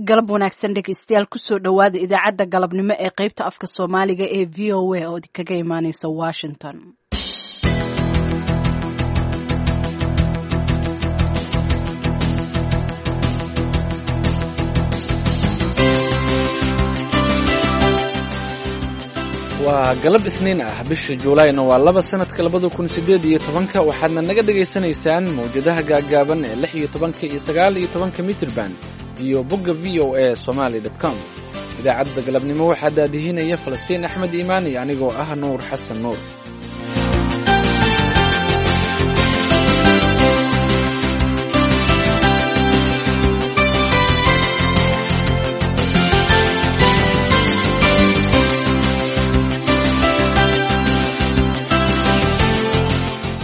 Galab wanaagsan dhegeystayaal, kusoo dhowaada idaacadda galabnimo ee qeybta afka Soomaaliga ee VOA oo kaga imaaneysa Washington. Waa galab Isniin ah, bisha Juulaayna waa 2, sanadka 2018-ka. Waxaadna naga dhagaysanaysaan mawjadaha gaaggaaban ee 16-ka iyo 19-ka mitirban iyo bogga VOA Somali com. Idaacadda galabnimo waxaa daadihinaya Falastiin Axmed Iimaan iyo anigoo ah Nuur Xasan Nuur.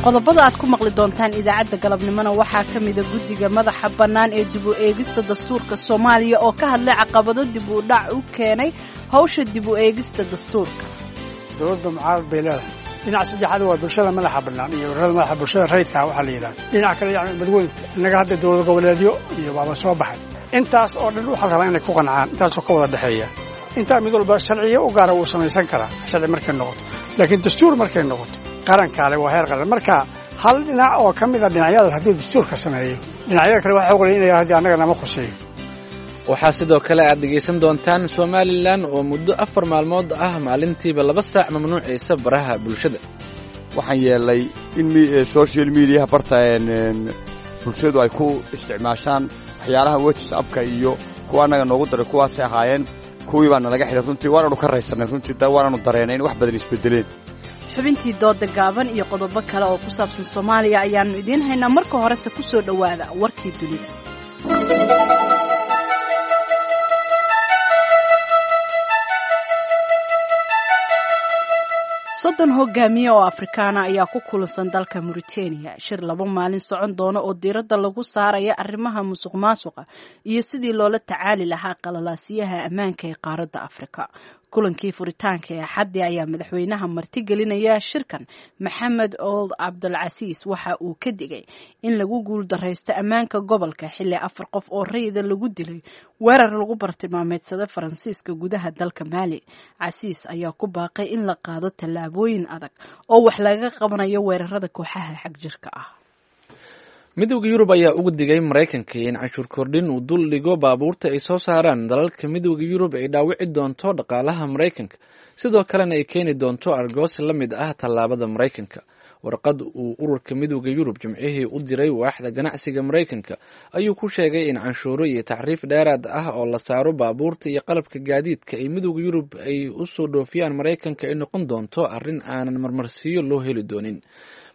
Qodobada aad ku maqli doontaan idaacadda galabnimona waxaa ka mida guddiga madaxa bannaan ee dib u eegista dastuurka Soomaaliya oo ka hadlay caqabado dib u dhac u keenay hawsha dib u eegista dastuurka. Dowladda mucaarad bay leedahay. Dhinac saddexaad waa bulshada madaxa bannaan iyo ururada madaxa bulshada rayidka waxaa la yidhahda. Dhinac kale yacni badweynta innaga hadda dowlad goboleedyo iyo baaba soo baxay. Intaas oo dhan waxaa la rabaa inay ku qancaan, intaasoo ka wada dhexeeya. Intaa mid walba sharciyo u gaara wuu samaysan karaa sharci markay noqoto, laakiin dastuur markay noqoto qarankaale waa heer qaran. Marka hal dhinac oo ka mid a dhinacyadaas haddii dastuurka sameeyo, dhinacyada kale waxaa oqolaya inay haddii annaga nama khuseeyo. Waxaa sidoo kale aad dhegaysan doontaan Somalilan oo muddo 4 maalmood ah maalintiiba 2 saac mamnuucaysa baraha bulshada. Waxaan yeelnay in social mediaha barta bulshadu ay ku isticmaashaan waxyaalaha WhatsAppka iyo kuwa annaga noogu daray kuwaasay ahaayeen, kuwii baa nalaga xidhay. Runtii waananu ka raysanay, runtii waananu dareenay in wax badan isbedeleen. Xubintii dooda gaaban iyo qodobo kale oo ku saabsan Soomaaliya ayaannu idiin haynaa. Marka horese ku soo dhowaada warkii dunida. 30 hogaamiye oo Afrikaana ayaa ku kulansan dalka Mauritania shir 2 maalin socon doona oo diiradda lagu saaraya arrimaha musuq maasuqa iyo sidii loola tacaali lahaa qalalaasiyaha ammaanka ee qaaradda Afrika. Kulankii furitaanka ee Axaddi ayaa madaxweynaha martigelinaya shirkan, Maxamed Old Cabdulcasiis, waxa uu ka digay in lagu guuldaraysto ammaanka gobolka xilli afar qof oo rayida lagu dilay weerar lagu bartilmaameedsada Faransiiska gudaha dalka Maali. Casiis ayaa ku baaqay in la qaado tallaabooyin adag oo wax laga qabanayo weerarada kooxaha xagjirka ah. Midowda Yurub ayaa uga digay Maraykanka in canshuur kordhin uu dul dhigo baabuurta ay soo saaraan dalalka Midowda Yurub ay dhaawici doonto dhaqaalaha Maraykanka, sidoo kalena ay keeni doonto argoosi la mid ah tallaabada Maraykanka. Warqad uu ururka Midowda Yurub Jimcihii u diray waaxda ganacsiga Maraykanka ayuu ku sheegay in canshuuro iyo taxriif dheeraad ah oo la saaro baabuurta iyo qalabka gaadiidka ay Midowda Yurub ay usoo dhoofiyaan Maraykanka ay noqon doonto arrin aanan marmarsiiyo loo heli doonin.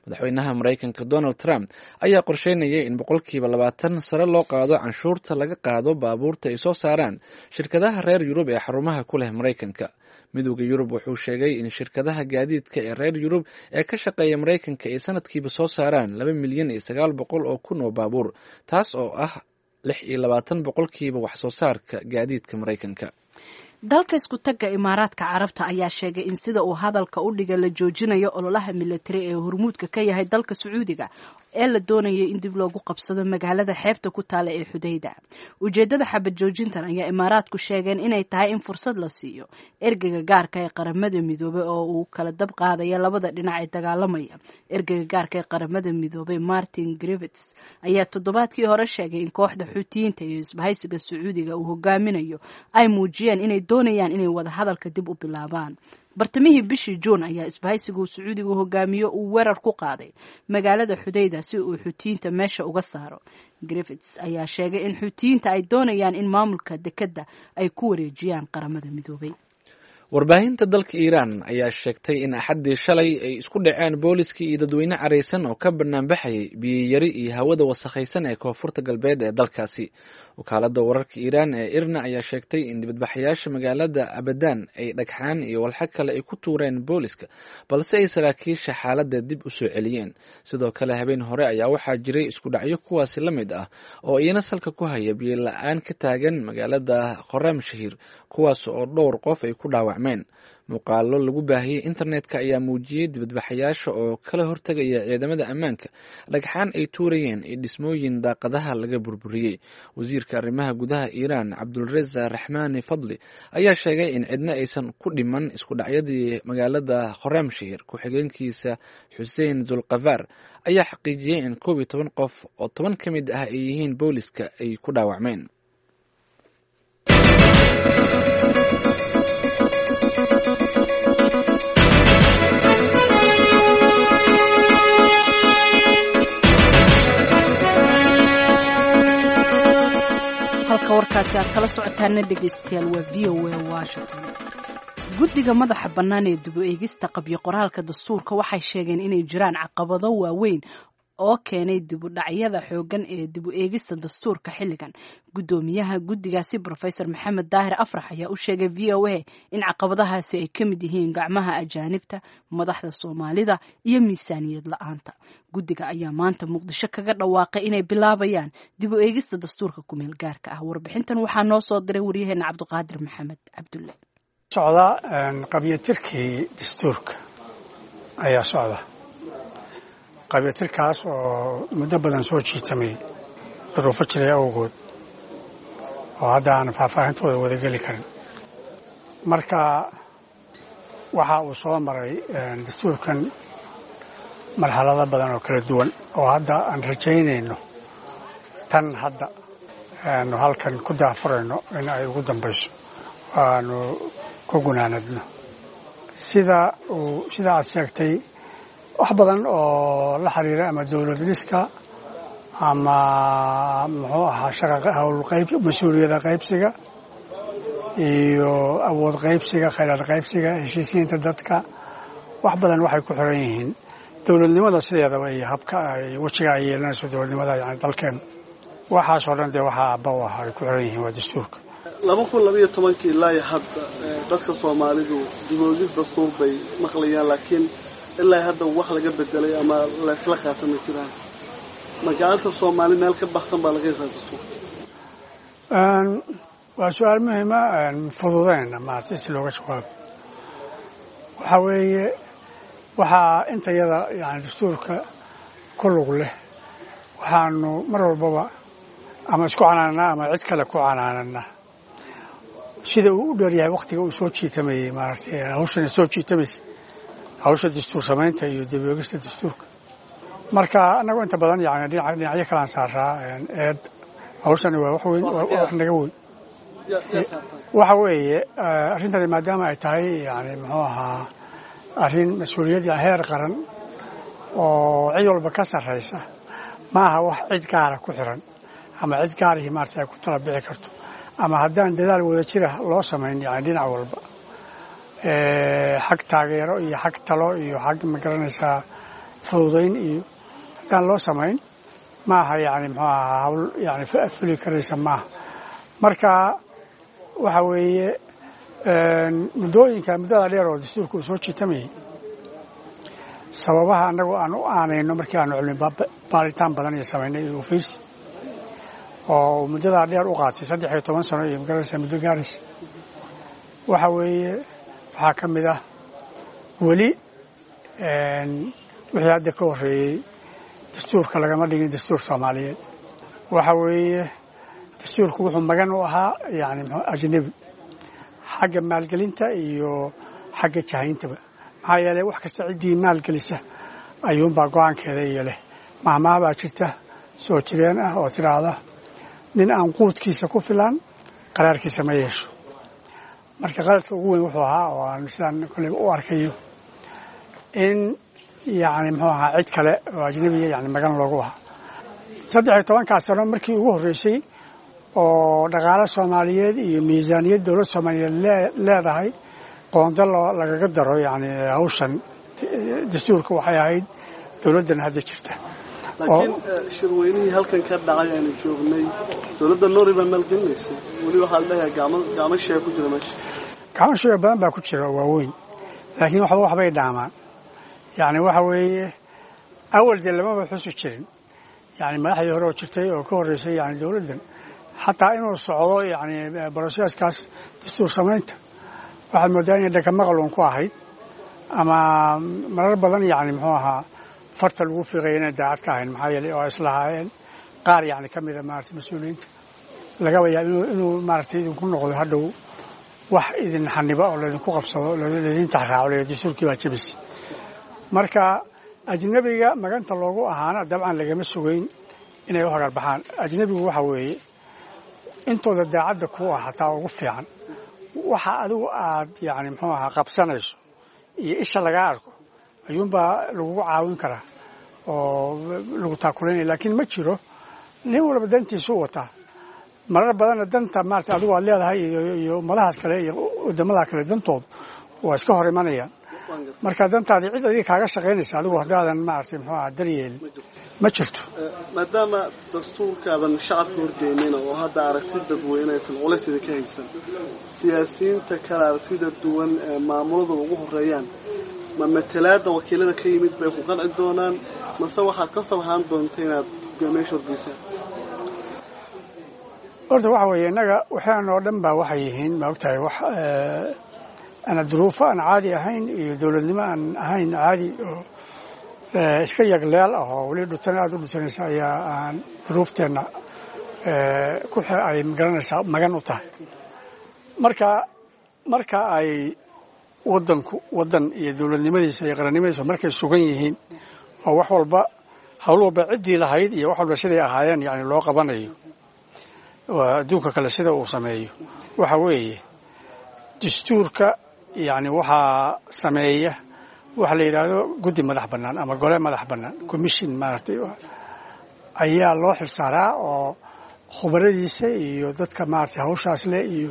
Madaxweynaha Maraykanka Donald Trump ayaa qorsheynayay in 20% sare loo qaado canshuurta laga qaado baabuurta ay soo saaraan shirkadaha reer Yurub ee xarumaha ku leh Maraykanka. Midowda Yurub wuxuu sheegay in shirkadaha gaadiidka ee reer Yurub ee ka shaqeeya Maraykanka ay sanadkiiba soo saaraan 2,900,000 oo baabuur, taas oo ah 26% wax soo saarka gaadiidka Maraykanka. Dalka isku tagga Imaaraadka Carabta ayaa sheegay in sida uu hadalka u dhigay la joojinayo ololaha militari ee hormuudka ka yahay dalka Sacuudiga ee la doonayay in dib loogu qabsado magaalada xeebta ku taala ee Xudayda. Ujeedada xabad joojintan ayaa Imaaraadku sheegeen inay tahay in fursad la siiyo ergeyga gaarka ee Qaramada Midoobay oo uu kala dab qaadaya labada dhinac ee dagaalamaya. Ergeyga gaarka ee Qaramada Midoobay Martin Griffiths ayaa toddobaadkii hore sheegay in kooxda Xuutiyiinta iyo isbahaysiga Sacuudiga uu hogaaminayo ay muujiyeen inay doonayaan inay wada hadalka dib u bilaabaan. Bartamihii bishii Juun ayaa isbahaysigu Sacuudigu hogaamiyo uu weerar ku qaaday magaalada Xudayda si uu Xuutiyiinta meesha uga saaro. Griffiths ayaa sheegay in Xuutiyiinta ay doonayaan in maamulka dekedda ay ku wareejiyaan Qaramada Midoobay. Warbaahinta dalka Iiraan ayaa sheegtay in Axaddii shalay ay isku dhaceen booliskii iyo dadweyne caraysan oo ka banaanbaxayay biyiyari iyo hawada wasakhaysan ee koonfurta galbeed ee dalkaasi. Wakaaladda wararka Iiraan ee IRNA ayaa sheegtay in dibadbaxayaasha magaalada Abadaan ay dhagxaan iyo walxo kale ay ku tuureen booliska, balse ay saraakiisha xaaladda dib u soo celiyeen. Sidoo kale habeen hore ayaa waxaa jiray isku dhacyo kuwaasi la mid ah oo iyana salka ku haya biyo la-aan ka taagan magaalada Khoramshahir, kuwaas oo dhowr qof ay ku dhaawacmeen. dhaawacmeen. Muuqaalo lagu baahiyey internetka ayaa muujiyey dibadbaxayaasha oo kala hortegaya ciidamada ammaanka, dhagxaan ay tuurayeen iyo dhismooyin daaqadaha laga burburiyey. Wasiirka arrimaha gudaha Iiraan Cabdulreza Raxmaani Fadli ayaa sheegay in cidna aysan ku dhiman isku dhacyadii magaalada Khorramshahr. Ku-xigeenkiisa Xuseen Zulkafaar ayaa xaqiijiyey in 11 qof oo 10 ka mid ah ay yihiin booliska ay ku dhaawacmeen. Halka warkaasi aad kala socotaana dhegeystayaal waa VOA Washington. Guddiga madaxa bannaan ee dib u eegista qabyo qoraalka dastuurka waxay sheegeen inay jiraan caqabado waaweyn oo keenay dib u dhacyada xooggan ee dib u eegista dastuurka xilligan. Guddoomiyaha guddigaasi Professor Maxamed Daahir Afrax ayaa u sheegay VOA in caqabadahaasi ay ka mid yihiin gacmaha ajaanibta, madaxda Soomaalida iyo miisaaniyad la-aanta. Guddiga ayaa maanta Muqdisho kaga dhawaaqay inay bilaabayaan dib u eegista dastuurka kumeel gaarka ah. Warbixintan waxaa noo soo diray waryaheena Cabdiqaadir Maxamed Cabdulle. Socda qabyatirkii dastuurka ayaa socda, qabyatirkaas oo muddo badan soo jiitamay duruufo jiray awgood oo hadda aan faahfaahintooda wadageli karin. Marka waxa uu soo maray dastuurkan marxalado badan oo kala duwan oo hadda aan rajaynayno tan hadda aanu halkan ku daafurayno in ay ugu dambayso aanu ku gunaanadno. Sida uu sida aad sheegtay, wax badan oo la xiriira ama dowlad dhiska ama muxuu ahaa shaqa howlqayb, mas-uuliyada qaybsiga iyo awood qaybsiga, khayraad qaybsiga, heshiisiinta dadka, wax badan waxay ku xiran yihiin dowladnimada sideedaba iyo habka ay wejiga ay yeelanayso dowladnimada, yani dalkeena. Waxaasoo dhan dee waxaa aabba u ah ay ku xiran yihiin waa dastuurka. 2012-kii ilaa iyo hadda dadka Soomaalidu dib u eegis dastuur bay maqlayaan, laakiin ilaa hadda wax laga bedelay ama laysla qaata ma jiraan. Magaalada Soomaali meel ka baxsan baa laga hesaa dastuur. Waa su-aal muhiima, fududeyna maarata si looga jawaabo. Waxaa weeye waxaa intayada yani dastuurka ku lug leh waxaanu mar walbaba ama isku canaananaa ama cid kale ku canaananaa sida uu u dheeryahay waktiga uu soo jiitamayey, maaragtay hawshana soo jiitamaysa, hawsha dastuur samaynta iyo dib u eegista dastuurka. Marka annagu inta badan yani dhinacyo kalaan saaraa eed. Hawshani waa wax weyn, waa wax naga weyn. Waxa weeye arrintani maadaama ay tahay yani muxuu ahaa arrin mas-uuliyad yani heer qaran oo cid walba ka sarraysa, ma aha wax cid gaara ku xiran ama cid gaarihii maarata ay ku tala bixi karto ama haddaan dadaal wada jira loo samayn, yani dhinac walba xag taageero iyo xag talo iyo xag magaranaysaa fududayn iyo haddaan loo samayn, maaha yani muxuu ahaa hawl yani fuli karaysa maaha. Marka waxa weeye muddooyinka muddada dheer oo dastuurka uu soo jiitamayay, sababaha annagu aan u aanayno markii aanu cilmi baaritaan badan iyo samaynay iyo ofiis oo muddadaa dheer u qaatay 13 sano iyo magaranaysa muddo gaaraysa, waxa weeye waxaa ka mid ah weli wixii hadda ka horreeyey dastuurka lagama dhigin dastuur Soomaaliyeed. Waxa weeye dastuurku wuxuu magan u ahaa yani mxuu ajnebi xagga maalgelinta iyo xagga jahayntaba, maxaa yeelay wax kasta ciddii maalgelisa ayuunbaa go-aankeeda iyo leh. Mahmaha baa jirta soo jireen ah oo tidhaahda nin aan quudkiisa ku filan qaraarkiisa ma yeesho. Marka qaladka ugu weyn wuxuu ahaa oo aan sidaan kolleyba u arkayo in yacni muxuu ahaa cid kale oo ajnabiya yani magan loogu ahaa. 13-kaas sano markii ugu horreysay oo dhaqaale Soomaaliyeed iyo miisaaniyad dowlad Soomaaliyeed leedahay qoonda lagaga daro yani hawshan dastuurka waxay ahayd dowladdan hadda jirta. Laakiin shirweynihii halkan ka dhacay aanu joognay, dowladda Norway baa maalgelinaysay. Weli waxaa la dhahayaa gacmo shee ku jira meesha. Gacmo shee badan baa ku jira oo waaweyn, laakiin waxba waxbay dhaamaan. Yani waxa weeye awal dee lamaba xusi jirin yani madaxdii hore oo jirtay oo ka horreysay yani dowladdan xataa inuu socdo yani broseskaas dastuur samaynta. Waxaad moodaa inay dhagamaqal uun ku ahayd ama marar badan yacni muxuu ahaa farta lagu fiiqaya inay daacad ka ahayn, maxaa yeelay oo islahaayeen qaar yacni ka mida maaragtay mas-uuliyiinta lagaba yaaba inuu maaragtay idinku noqdo hadhow wax idin xaniba oo laydinku qabsado, laydin taxraaco, la dastuurkii baa jebis. Marka ajnabiga maganta loogu ahaana dabcan lagama sugayn inay u hagar baxaan. Ajnabigu waxa weeye intooda daacadda ku ah hataa ugu fiican waxa adigu aad yacni muxuu ahaa qabsanayso iyo isha laga arko ayuunbaa lagugu caawin karaa oo lagu taakulaynaya, laakiin ma jiro nin walba dantiisu wataa. Marar badanna danta maarata adigu aad leedahay iyo ummadahaas kale iyo waddamada kale dantoodu waa iska hor imanayaan. Marka dantaadii cid adiga kaaga shaqaynaysa adigu haddaadan maaragtay muxuu aha daryeelin ma jirto. Maadaama dastuurkaadan shacabka horgeynayna oo hadda aragti dadweyne aysan culays idinka haysan, siyaasiyiinta kale aragtida duwan ee maamuladu ugu horeeyaan ma matalaada wakiilada ka yimid bay ku qanci doonaan, mase waxaad qasab ahaan doonta inaad hogaamiyaasha horgeysaan? Horta waxa weeye innaga waxaan oo dhan baa waxay yihiin, ma ogtahay, wax ana duruufo aan caadi ahayn iyo dowladnimo aan ahayn caadi oo iska yagleel ah oo weli dhutan aada u dhutanaysa ayaa aan duruufteenna ku ay magaranaysaa magan u tahay. Marka ay waddanku waddan iyo dowladnimadiisa iyo qarannimadiisa markay sugan yihiin oo wax walba hawl walba ciddii lahayd iyo wax walba siday ahaayeen yacni loo qabanayo, waa adduunka kale sida uu sameeyo. Waxa weeye dastuurka yacni waxaa sameeya waxa la yidhaahdo guddi madax bannaan ama gole madax bannaan, commission maaragtay ayaa loo xilsaaraa oo khubaradiisa iyo dadka maaragtay hawshaas leh iyo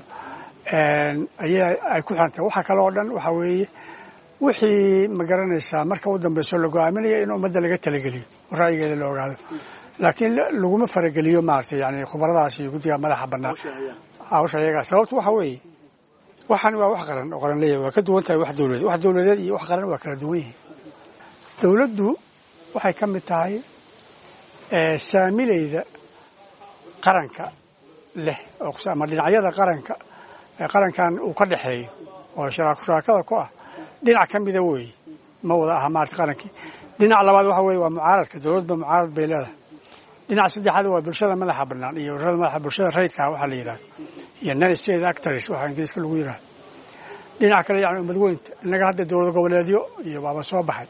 ayaa ay ku xirantahay. Waxa kale oo dhan waxa weeye wixii ma garanaysaa marka u dambayso la go'aaminaya in ummadda laga talageliyo oo ra'yigeeda la ogaado, laakiin laguma farageliyo maaragtay yani khubaradaas iyo guddiga madaxa bannaan hawsha iyagaa. Sababtu waxa weeye waxaan waa wax qaran oo qaran leeyahay, waa ka duwan tahay wax dowladeed. Wax dowladeed iyo wax qaran waa kala duwan yihiin. Dowladdu waxay ka mid tahay saamileyda qaranka leh ama dhinacyada qaranka qarankan uu ka dhexeeyo oo shuraakada ku ah dhinac ka mida weeye, ma wada aha maarata qarankii. Dhinac labaad waxa weeye waa mucaaradka, dowladba mucaarad bay leedahay. Dhinac saddexaad waa bulshada madaxa bannaan iyo ururada madaxa bulshada rayidka waxaa la yidhahdo iyo non state actors waxa ingiriiska lagu yidhahdo. Dhinac kale yacni ummad weynta, innaga hadda dowlad goboleedyo iyo baaba soo baxay.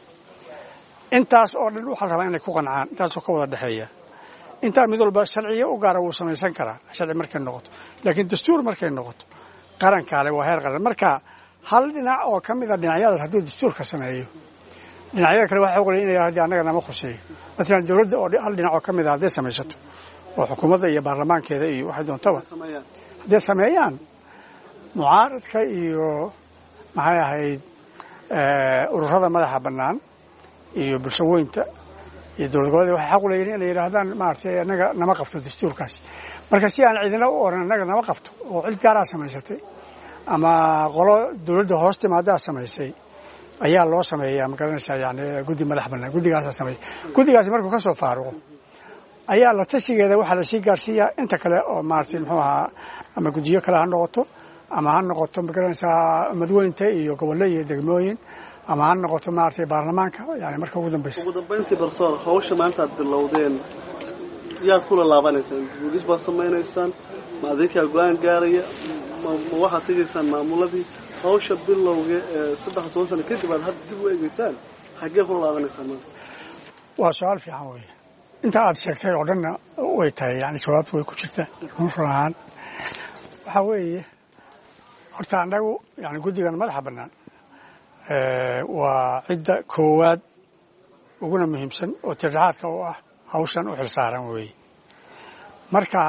Intaas oo dhan waxaa la rabaa inay ku qancaan, intaasoo ka wada dhexeeya. Intaa mid walba sharciyo u gaara wuu samaysan karaa sharci markay noqoto, laakiin dastuur markay noqoto qarankaale waa heer qaran. Marka hal dhinac oo ka mid a dhinacyadaas hadduu dastuurka sameeyo, dhinacyada kale waxay ogolayeen inay haddii annaga nama khuseeyo. Masalan dowladda oo hal dhinac oo ka mid a hadday samaysato oo xukuumadda iyo baarlamaankeeda iyo waxay doontaba hadday sameeyaan, mucaaradka iyo maxay ahayd ururada madaxa bannaan iyo bulshaweynta iyo dowlad goboleed waxay xaq u leeyihin inay yidhaahdaan maaragtay annaga nama qabto dastuurkaasi. Marka si aan cidina u oran annaga nama qabto oo cid gaaraa samaysatay ama qolo dowladda hoos timaadaa samaysay ayaa loo sameeyaa, ma garanaysaa, yani guddi madax bannaan guddigaasaa sameeya. Guddigaasi markuu ka soo faaruqo ayaa la tashigeeda waxaa lasii gaarsiiyaa inta kale oo maaragtay muxuu ahaa ama guddiyo kale ha noqoto ama ha noqoto ma garanaysaa madweynta iyo gobollo iyo degmooyin ama ha noqoto maaragtay baarlamaanka yani marka ugu dambaysa. Ugu dambayntii barsoor, hawsha maanta aad bilowdeen yaad kula laabanaysaan? Booliis baad samaynaysaan, ma adinkaa go-aan gaaraya, ma waxaad tegaysaan maamuladii? Hawsha bilowga ee 13 sano kadib aad hadda dib u eegeysaan, xaggee kula laabanaysaan maanta? Waa su-aal fiican weeye. Inta aad sheegtay oo dhanna way tahay, yani jawaabtu way ku jirtaa run ahaan. Waxaa weeye horta annagu yani guddigan madaxa bannaan waa cidda koowaad uguna muhiimsan oo tirdhaxaadka u ah hawshan u xilsaaran weeye. Marka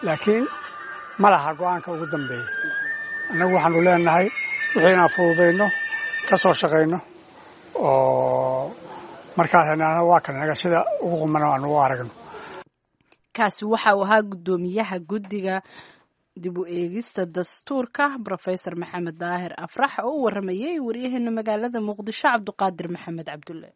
laakiin ma laha go-aanka ugu dambeeya. Annagu waxaanu leenahay wixii inaan fududayno, ka soo shaqayno oo markaas waa kan naga sida ugu qumano aanu u aragno. Kaasi waxa uu ahaa guddoomiyaha guddiga dib u eegista dastuurka Rofesor Maxamed Daahir Afrax oo u waramayay waryaheena magaalada Muqdisho Cabduqaadir Maxamed Cabdulle.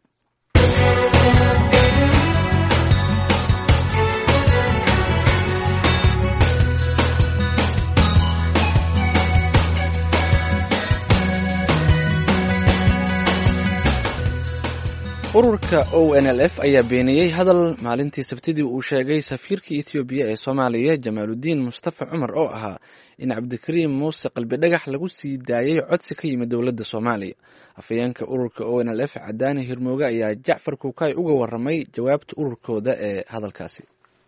Ururka ONLF ayaa beeniyey hadal maalintii Sabtidii uu sheegay safiirkii Etoobiya ee Soomaaliya, Jamaaludiin Mustafa Cumar, oo ahaa in Cabdikariim Muuse Qalbidhagax lagu sii daayey codsi ka yimid dowladda Soomaaliya. Afhayeenka ururka ONLF, Cadaani Hirmooge, ayaa Jacfar Kuukay uga waramay jawaabta ururkooda ee hadalkaasi.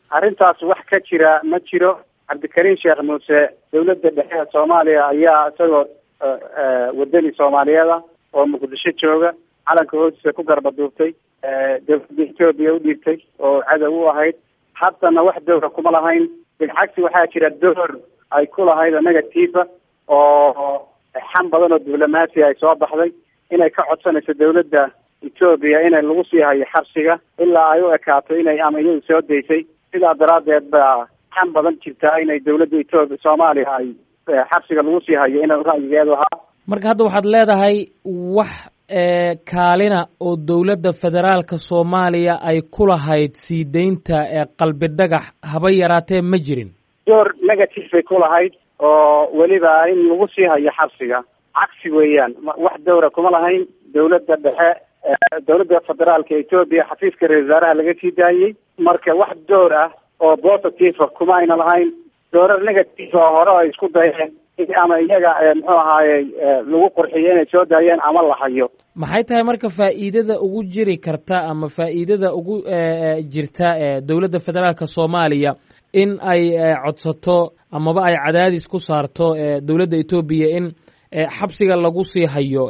Arrintaas wax ka jira ma jiro. Cabdikariim Sheekh Muuse dowladda dhexe ee Soomaaliya ayaa isagoo wadani Soomaaliyeeda oo Muqdisho jooga calanka hoostiisa ku garba duubtay, dowladda Etoobiya u dhiibtay oo cadow u ahayd. Haddana wax dowra kuma lahayn. Bilcagsi, waxaa jira door ay ku lahayd oo negative oo xam badan oo diblomaasi ay soo baxday inay ka codsanayso dowladda Etoobiya inay lagu sii hayo xabsiga ilaa ay u ekaato inay ama iyadu soo daysay. Sidaa daraaddeed baa xam badan jirtaa inay dowladda Etoobiya Soomaaliya ay xabsiga lagu sii hayo inay ra'yigeedu ahaa. Marka hadda waxaad leedahay wax kaalina oo dowladda federaalka Soomaaliya ay ku lahayd sii deynta Qalbi Dhagax haba yaraatee ma jirin? Door negative bay ku lahayd oo weliba in lagu sii hayo xabsiga. Cagsi weeyaan, wax dowra kuma lahayn dowladda dhexe. Dowladda federaalka Etoobiya xafiiska ra-isul wasaaraha laga sii daayey. Marka wax door ah oo positive kuma ayna lahayn. Doorar negative oo hore ay isku dayeen ama iyaga muxuu ahaayey lagu qurxiyo inay soo daayeen ama la hayo. Maxay tahay marka faa'iidada ugu jiri karta ama faa'iidada ugu jirta dowladda federaalka Soomaaliya in ay codsato amaba ay cadaadis ku saarto dowladda Etoobiya in xabsiga lagu sii hayo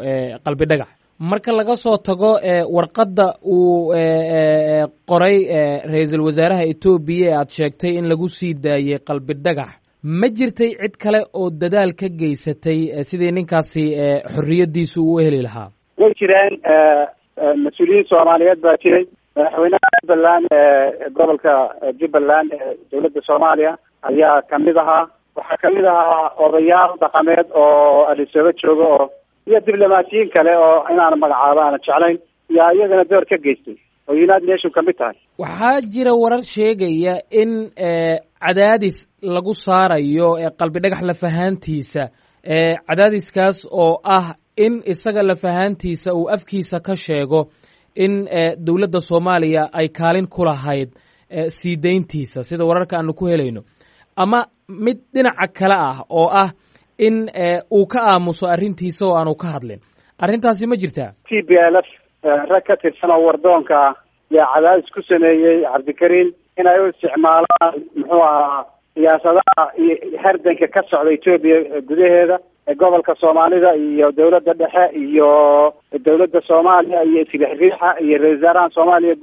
Qalbi Dhagax, marka laga soo tago warqadda uu qoray ra-iisul wasaaraha Etoobiya ee aad sheegtay in lagu sii daayey Qalbi Dhagax? Ma jirtay cid kale oo dadaal ka geysatay sidii ninkaasi xorriyaddiisu uu heli lahaa? Way jireen, mas-uuliyiin Soomaaliyeed baa jiray. Madaxweynaha Jubbaland ee gobolka Jubbaland ee dowladda Soomaaliya ayaa kamid ahaa. Waxaa kamid ahaa odayaal dhaqameed oo Adisaba jooga oo iyo diblomaasiyiin kale oo inaan magacaabo aana jeclayn yaa iyagana door ka geystay oo United Nation kamid tahay. Waxaa jira warar sheegaya in cadaadis lagu saarayo Qalbi Dhagax lafahaantiisa, cadaadiskaas oo ah in isaga lafahaantiisa uu afkiisa ka sheego in dowladda Soomaaliya ay kaalin ku lahayd sii deyntiisa, sida wararka aanu ku helayno, ama mid dhinaca kale ah oo ah in uu ka aamuso arrintiisa oo aanu ka hadlin. Arrintaasi ma jirtaa? TPLF rag ka tirsan oo wardoonka ah yaa cadaadis ku sameeyey Cabdikariim inay u isticmaalaan muxuu ahaa siyaasadaha iyo hardanka ka socda Etoobiya gudaheeda, gobolka Soomaalida iyo dowladda dhexe iyo dowladda Soomaaliya iyo isriixriixa iyo ra-isul wasaaraha Soomaaliya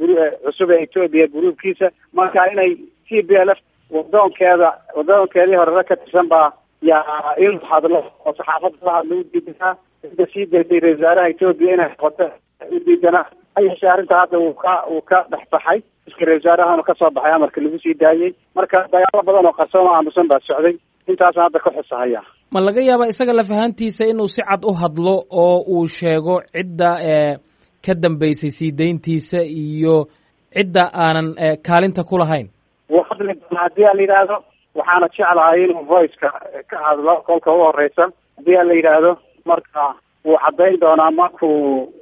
cusub ee Etoobiya gruubkiisa. Marka inay TPLF wadoonkeeda wadoonkeedii hore rag ka tirsan baa yaa in hadlo oo saxaafadda la hadlo u diidanaa cidda sii daysay ra-isul wasaaraha Etoobiya inay noqoto u diidanaa. Ha yeeshee arrinta hadda wuu ka dhexbaxay iska ra-isul wasaarahana kasoo baxay amarka lagu sii daayey. Marka dagaalo badan oo qarsoon oo aamusan baa socday, intaasaan hadda ka xusahaya. Ma laga yaabaa isaga lafahantiisa inuu si cad u hadlo oo uu sheego cidda ka dambeysay sii deyntiisa iyo cidda aanan kaalinta ku lahayn? Wuu hadli doonaa haddii a la yidhaahdo. Waxaana jeclahay inuu voiceka ka hadlo kolka u horeysa haddii a la yidhaahdo. Marka wuu caddayn doonaa markuu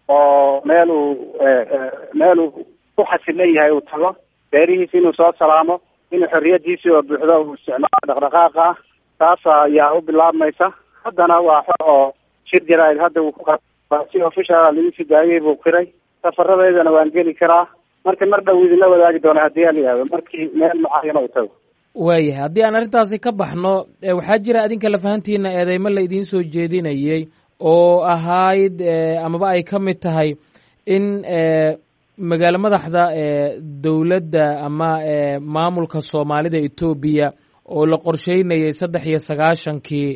oo meel uu ku xasilan yahay uu tago beerihiisi, inuu soo salaamo, inuu xorriyadiisii oo buuxdo uu isticmaalo dhaqdhaqaaqa ah. Taas ayaa u bilaabmaysa. Haddana waa xor oo shir jaraa'id hadda uu ku qa si official lagu sii daayay buu qiray. Safaradeydana waan geli karaa. Marka mar dhow idinla wadaagi doona haddii a la yidhahdo markii meel mucayana uu tago. Waayahay, haddii aan arrintaasi ka baxno, waxaa jira adinka lafahantiina eedeymo la idiin soo jeedinayey oo ahayd amaba ay ka mid tahay in magaalo madaxda dowladda ama maamulka Soomaalida Etoobiya oo la qorsheynayay 93-kii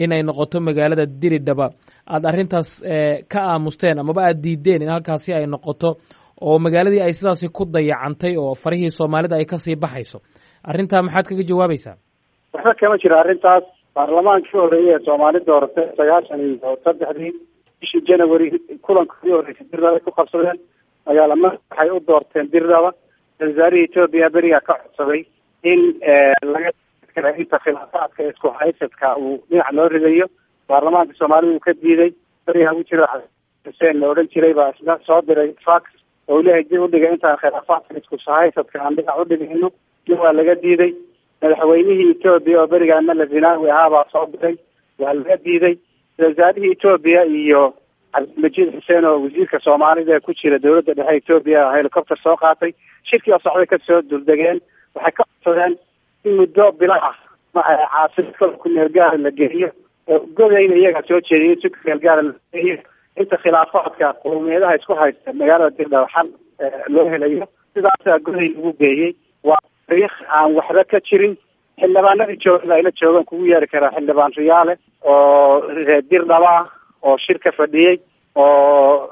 inay noqoto magaalada Diridhaba aad arrintaas ka aamusteen amaba aad diideen in halkaasi ay noqoto, oo magaaladii ay sidaasi ku dayacantay oo farihii Soomaalida ay kasii baxayso. Arrintaa maxaad kaga jawaabaysaa? Waxba kama jiro arrintaas. Baarlamaankii horeeyey ee Soomaali dooratay 93-dii bishii January kulankoodii horreysay Dirdaba ku qabsadeen. Magaalama waxay u doorteen Dirdaba. Ra-isul wasaarihii Etoobiya berigaa ka codsaday in laga inta khilaafaadka isku haysadka uu dhinac loo ridayo. Baarlamaanka Soomaalida uu ka diiday berigaa u jiro. Xuseen la odhan jiray baa isna soo diray fax oo leeyahay dib u dhigay intaan khilaafaadka isku sahaysadka aan dhinac u dhigayno. Dib waa laga diiday. Madaxweynihii Etoobiya oo berigaa Mele Zenawi ahaa baa soo diray, waa laga diiday. Wasaarihii Etoobiya iyo Cabdilmajiid Xuseen oo wasiirka Soomaalida ee ku jira dowladda dhexe Etoobiya helicopter soo qaatay, shirkii oo socday kasoo duldegeen. Waxay ka codsadeen in muddo bilo ah caasimad ku meel gaara la geeyo, Godayna iyagaa soo jeediyay in si ku meel gaara la geeyo inta khilaafaadka qowmiyadaha isku haysta magaalada Dirdhaba xal loo helayo. Sidaasaa Goday lagu geeyey. Waa taariikh aan waxba ka jirin. Xildhibaanadii joogada ayla joogaan kugu yeeri karaa xildhibaan Riyaale oo reer Dirdhaba ah oo shirka fadhiyey, oo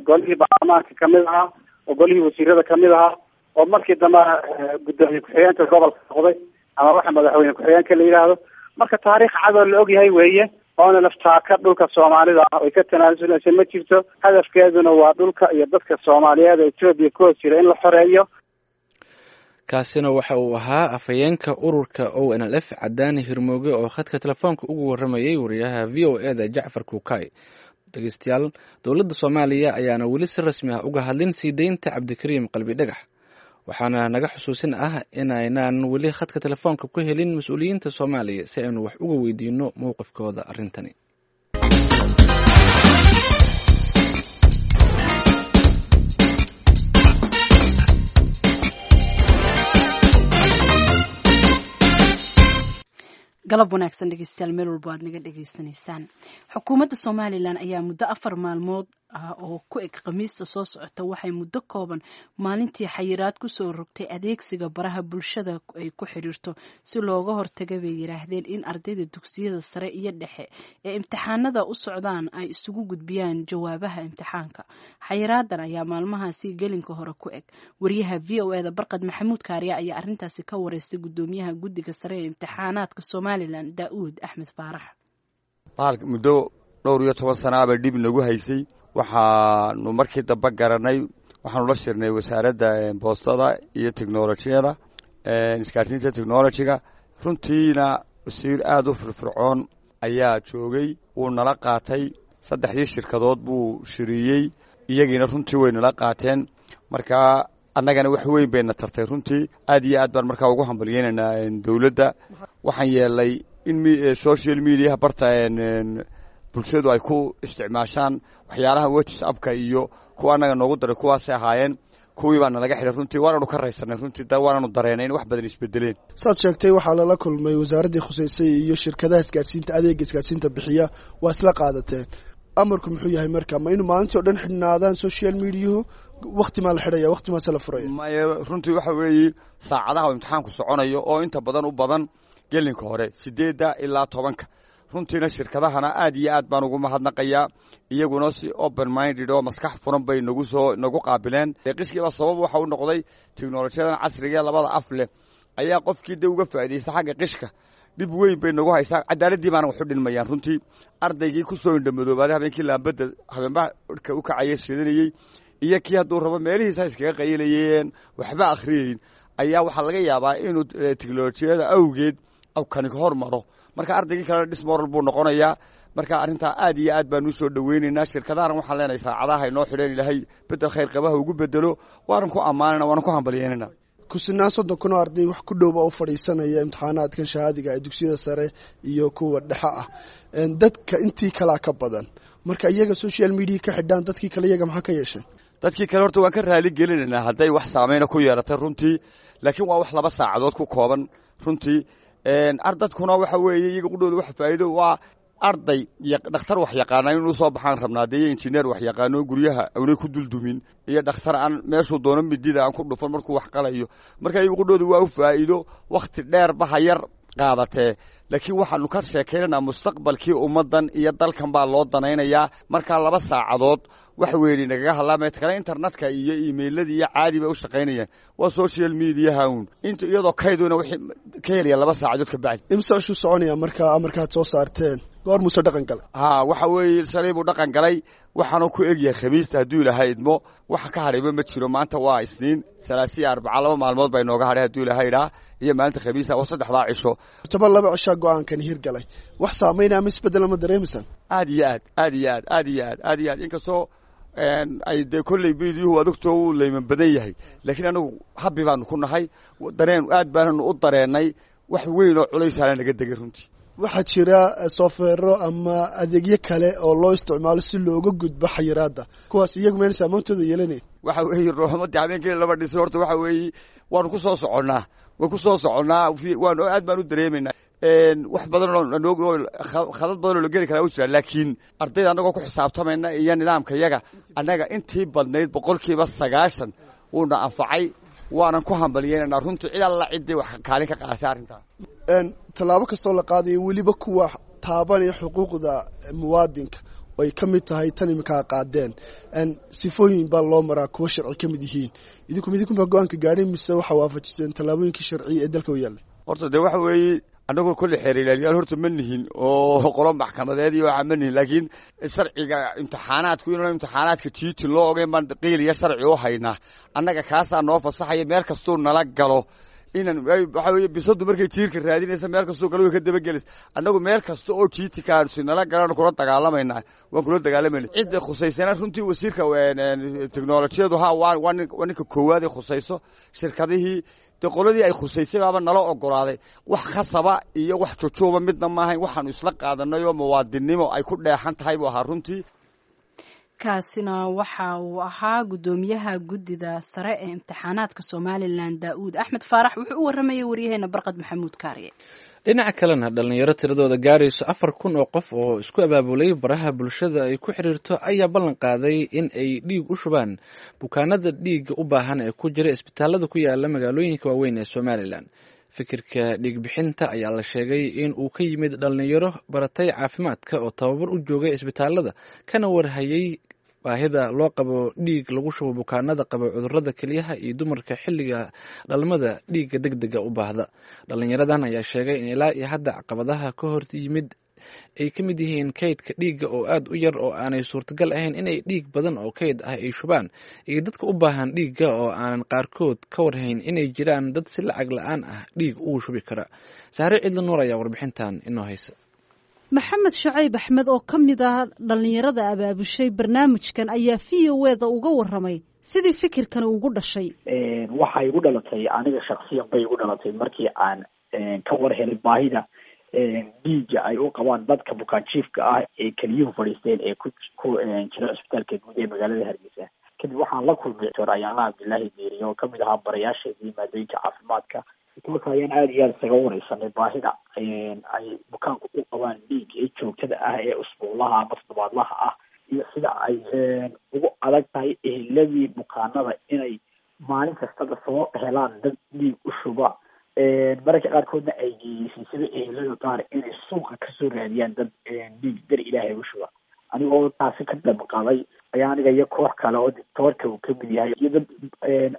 golihii baarlamaanka kamid ahaa, oo golihii wasiirada kamid ahaa, oo markii dambe guddoomiye ku-xigeenka gobolka noqday ama waxa madaxweyne ku-xigeenka la yidhaahdo. Marka taariikh cadoo la ogyahay weeye, oona laftaaka dhulka Soomaalida ah ay ka tanaasuleysa ma jirto. Hadafkeeduna waa dhulka iyo dadka Soomaaliyeed ee Etoobiya ku hoos jira in la xoreeyo. Kaasina waxa uu ahaa afhayeenka ururka ONLF, Cadaani Hirmooge, oo khadka telefoonka ugu waramayay wariyaha VOA da, Jacfar Kuukay. Dhegeystayaal, dowladda Soomaaliya ayaana weli si rasmi ah uga hadlin sii deynta Cabdikariim Qalbi Dhagax, waxaana naga xusuusin ah inaynaan weli khadka telefoonka ku helin mas-uuliyiinta Soomaaliya si aynu wax uga weydiino mowqifkooda arrintani. Galab wanaagsan dhegeystayaal, meel walbo aad naga dhegeysanaysaan. Xukuumadda Somalilan ayaa muddo 4 maalmood ah oo ku eg Khamiista soo socota waxay muddo kooban maalintii xayiraad kusoo rogtay adeegsiga baraha bulshada ay ku xiriirto, si looga hortaga bay yiraahdeen in ardayda dugsiyada sare iyo dhexe ee imtixaanada u socdaan ay isugu gudbiyaan jawaabaha imtixaanka. Xayiraadan ayaa maalmahaasi gelinka hore ku eg. Wariyaha VOA da, Barqad Maxamuud Kaariya, ayaa arintaasi ka wareystay gudoomiyaha guddiga sare ee imtixaanaadka Somalilan, Daa'uud Axmed Faarax. Bahalka muddo dhowr iyo toban sanaaba dhib nagu haysay. Waxaanu markii dambe garanay, waxaanu la shirnay wasaaradda boostada iyo teknolojiyada, isgaarsiinta technology-ga. Runtiina wasiir aada u firfircoon ayaa joogay, wuu nala qaatay. Saddexdii shirkadood buu shiriyey, iyagiina runtii way nala qaateen. Markaa annagana wax weyn bayna tartay runtii. Aad iyo aad baan markaa ugu hambalyeynaynaa dowladda. Waxaan yeelnay in social mediaha barta bulshadu ay ku isticmaashaan waxyaalaha WhatsAppka iyo kuwa annaga noogu daray, kuwaasay ahaayeen, kuwii baa nalaga xidhay. Runtii waananu ka raysanay runtii, waananu dareenay in wax badan isbedeleen. Saad sheegtay, waxaa lala kulmay wasaaraddii khuseysay iyo shirkadaha isgaadhsiinta, adeega isgaadhsiinta bixiya. Waa isla qaadateen. Amarku muxuu yahay marka? Ma inuu maalintii o dhan xidhnaadaan social mediahu? Wakti maa la xidhaya, wakti maase la furaya? Maya, runtii waxa weeye saacadaha uu imtixaanku soconayo oo inta badan u badan gelinka hore 8-da ilaa 10-ka. Runtiina shirkadahana aad iyo aad baan ugu mahadnaqayaa. Iyaguna si open minded oo maskax furan bay nagu soo nagu qaabileen. Qishkiiba sabab waxa u noqday teknolojiyadan casriga ee labada af leh ayaa qofkii de uga faa'iidaysta xagga qishka. Dhib weyn bay nagu haysaa, cadaaladdii baana waxu dhinmayaan runtii. Ardaygii ku soo indhamadoobaaday habeenkii laambadda habeenba u kacaya shidanayey iyo kii hadduu rabo meelihiisa iskaga qayilayeen waxba akhriyeyn ayaa waxaa laga yaabaa inuu teknolojiyada awgeed kani hor maro. Marka ardaygii kalena dismoral buu noqonayaa. Marka arrintaa aad iyo aad baan usoo dhaweynaynaa. Shirkadahana waxaan leenahay saacadaha inoo xidheen Ilaahay bedel khayr qabaha ugu bedelo. Waanan ku ammaanana, waanan ku hambalyeynana. Kusinaan 30,000 oo arday wax ku dhowba u fadhiisanaya imtixaanaadkan shahaadiga ee dugsiyada sare iyo kuwa dhexe ah. Dadka intii kalaa ka badan. Marka iyaga social media ka xidhaan, dadkii kale iyaga maxaa ka yeesheen? Dadkii kale horta waan ka raali gelinaynaa hadday wax saameyna ku yeelatay runtii, laakiin waa wax 2 saacadood ku kooban runtii. Ardadkuna waxa weeye iyaga qudhooda wax faa'iido waa arday dhakhtar wax yaqaana inuu soo baxaan rabnaa dee, iyo injineer wax yaqaano guryaha awnay ku duldumin, iyo dhakhtar aan meeshuu doono midida aan ku dhufan markuu wax qalayo. Marka iyaga qudhooda waa u faa'iido, wakhti dheer baha yar qaadatee, laakiin waxaanu ka sheekaynaynaa mustaqbalkii ummaddan iyo dalkan baa loo danaynayaa. Markaa 2 saacadood wax weyni nagaga hadlaamay kale, internetka iyo emailadii iyo caadi bay u shaqaynayaan. Waa social mediaha uun inta iyadoo kayduna wixii ka helaya 2 saacadood ka bacdi. Imse ashuu soconaya marka amarkaad soo saarteen? Goor muuse dhaqan galay? Ha, waxa weeye shalay buu dhaqan galay, waxaanu ku egyahay Khamiista hadduu Ilaahay idmo. Waxa ka hadhayba ma jiro. Maanta waa Isniin, Salaasiya, Arbaca, 2 maalmood baa inooga hadhay hadduu Ilaahay idhaa, iyo maalinta Khamiista, waa saddexdaa cisho. Toban laba cishaa go-aankan hirgalay, wax saameynaya ama isbeddel ama dareemaysaan? Aad iyo aad, aad iyo aad, aad iyo aad, aad iyo aad. Inkastoo Ay dee kolley miidiyuhu adogtoo wuu layman badan yahay, laakiin anagu habi baanu ku nahay, dareen aad baananu u dareennay, wax weyn oo culaysaana naga degay runtii. Waxaa jira software-o ama adeegyo kale oo loo isticmaalo si looga gudbo xayiraadda, kuwaas iyagu mayna saameyntooda yeelanayn? Waxa weeye ruuxumadii habeenkii lama dhisin. Horta waxa weeye waanu ku soo soconnaa, waan ku soo soconnaa, waanu aad baan u dareemaynaa. Wax badan oo khadad badan oo la geli karaa u jira, laakiin ardayda annagoo ku xisaabtamayna iyo nidaamka yaga annaga intii badnayd 90% wuuna anfacay, waanan ku hambalyeynana runtii cid alla ciddii wax kaalin ka qaadatay arrintaas. Tallaabo kastoo la qaadayo, weliba kuwa taabanaya xuquuqda muwaadinka ay ka mid tahay tan iminkaa qaadeen, sifooyin baa loo maraa kuwo sharci ka mid yihiin. Idinku midinkunbaa go-aanka gaadhay mise waxaa waafajiseen tallaabooyinkii sharciya ee dalka u yaallay? Horta dee waxa weeye annagu kolley xeer ilaaliyaal horta ma nihin oo qolo maxkamadeed iyo waxaa ma nihin, laakiin sharciga imtixaanaadku inuu imtixaanaadka jiiti loo ogeyn baan qiil iyo sharci u haynaa. Annaga kaasaa noo fasaxaya meel kastuu nala galo inan. Waxa weeye bisadu markay jiirka raadinaysa meel kastuu galo way ka dabagelaysa. Annagu meel kasta oo jiitikaasi nala galaan kula dagaalamaynaa, waan kula dagaalamayna. Cidda khusaysana runtii wasiirka teknolojiyadu ha waa waa ninka koowaad ee khusayso. Shirkadihii dee qoladii ay khusaysay baaba nala ogolaaday. Wax khasaba iyo wax jujuuba midna maahayn, waxaanu isla qaadanay oo muwaadinnimo ay ku dheexan tahay buu ahaa runtii. Kaasina waxa uu ahaa guddoomiyaha guddida sare ee imtixaanaadka Somalilan, Daa'uud Axmed Faarax. Wuxuu u waramayay waryaheena Barqad Maxamuud Kaariye. Dhinaca kalena, dhalinyaro tiradooda gaarayso 4000 oo qof oo isku abaabulay baraha bulshada ay ku xiriirto ayaa ballan qaaday in ay dhiig u shubaan bukaanada dhiigga u baahan ee ku jira isbitaalada ku yaala magaalooyinka waaweyn ee Somalilan. Fikirka dhiigbixinta ayaa la sheegay in uu ka yimid dhalinyaro baratay caafimaadka oo tababar u joogay isbitaalada, kana warhayay baahida loo qabo dhiig lagu shubo bukaanada qaba cudurada kelyaha iyo dumarka xilliga dhalmada dhiigga degdega u baahda. Dhalinyaradan ayaa sheegay in ilaa iyo hadda caqabadaha ka hor yimid ay ka mid yihiin kaydka dhiigga oo aada u yar oo aanay suurtagal ahayn inay dhiig badan oo kayd ah ay shubaan, iyo dadka u baahan dhiigga oo aanan qaarkood ka warhayn inay jiraan dad si lacag la-aan ah dhiig ugu shubi kara. Sahre Ciidla Nuur ayaa warbixintan inoo haysa. Maxamed Shacayb Axmed oo ka mid ah dhallinyarada abaabushay barnaamijkan ayaa VOA-da uga waramay sidii fikirkan ugu dhashay. Waxay igu dhalatay aniga shaksiyan bay igu dhalatay markii aan ka war helay baahida dhiigga ay u qabaan dadka bukaanjiifka ah ee keliyuhu fadhiisteen ee ku jira cisbitaalka guud ee magaalada Hargeysa. Kadib waxaan la kulmay Doctor Ayaala Cabdillaahi Diiri oo kamid ahaa barayaasheedii maadooyinka caafimaadka. Marka ayaan aada iyo aada isaga wareysanay baahida ay bukaanku u qabaan dhiig ee joogtada ah ee usbuulaha ama toddobaadlaha ah, iyo sida ay ugu adag tahay eheladii bukaanada inay maalin kastaba soo helaan dad dhiig u shuba, mararka qaarkoodna ay geeyeysay sida ehelada qaar inay suuqa kasoo raadiyaan dad dhiig dar Ilaahay u shuba. Anigoo taasi ka damqaday ayaa aniga iyo koox kale oo doctoorka uu kamid yahay iyo dad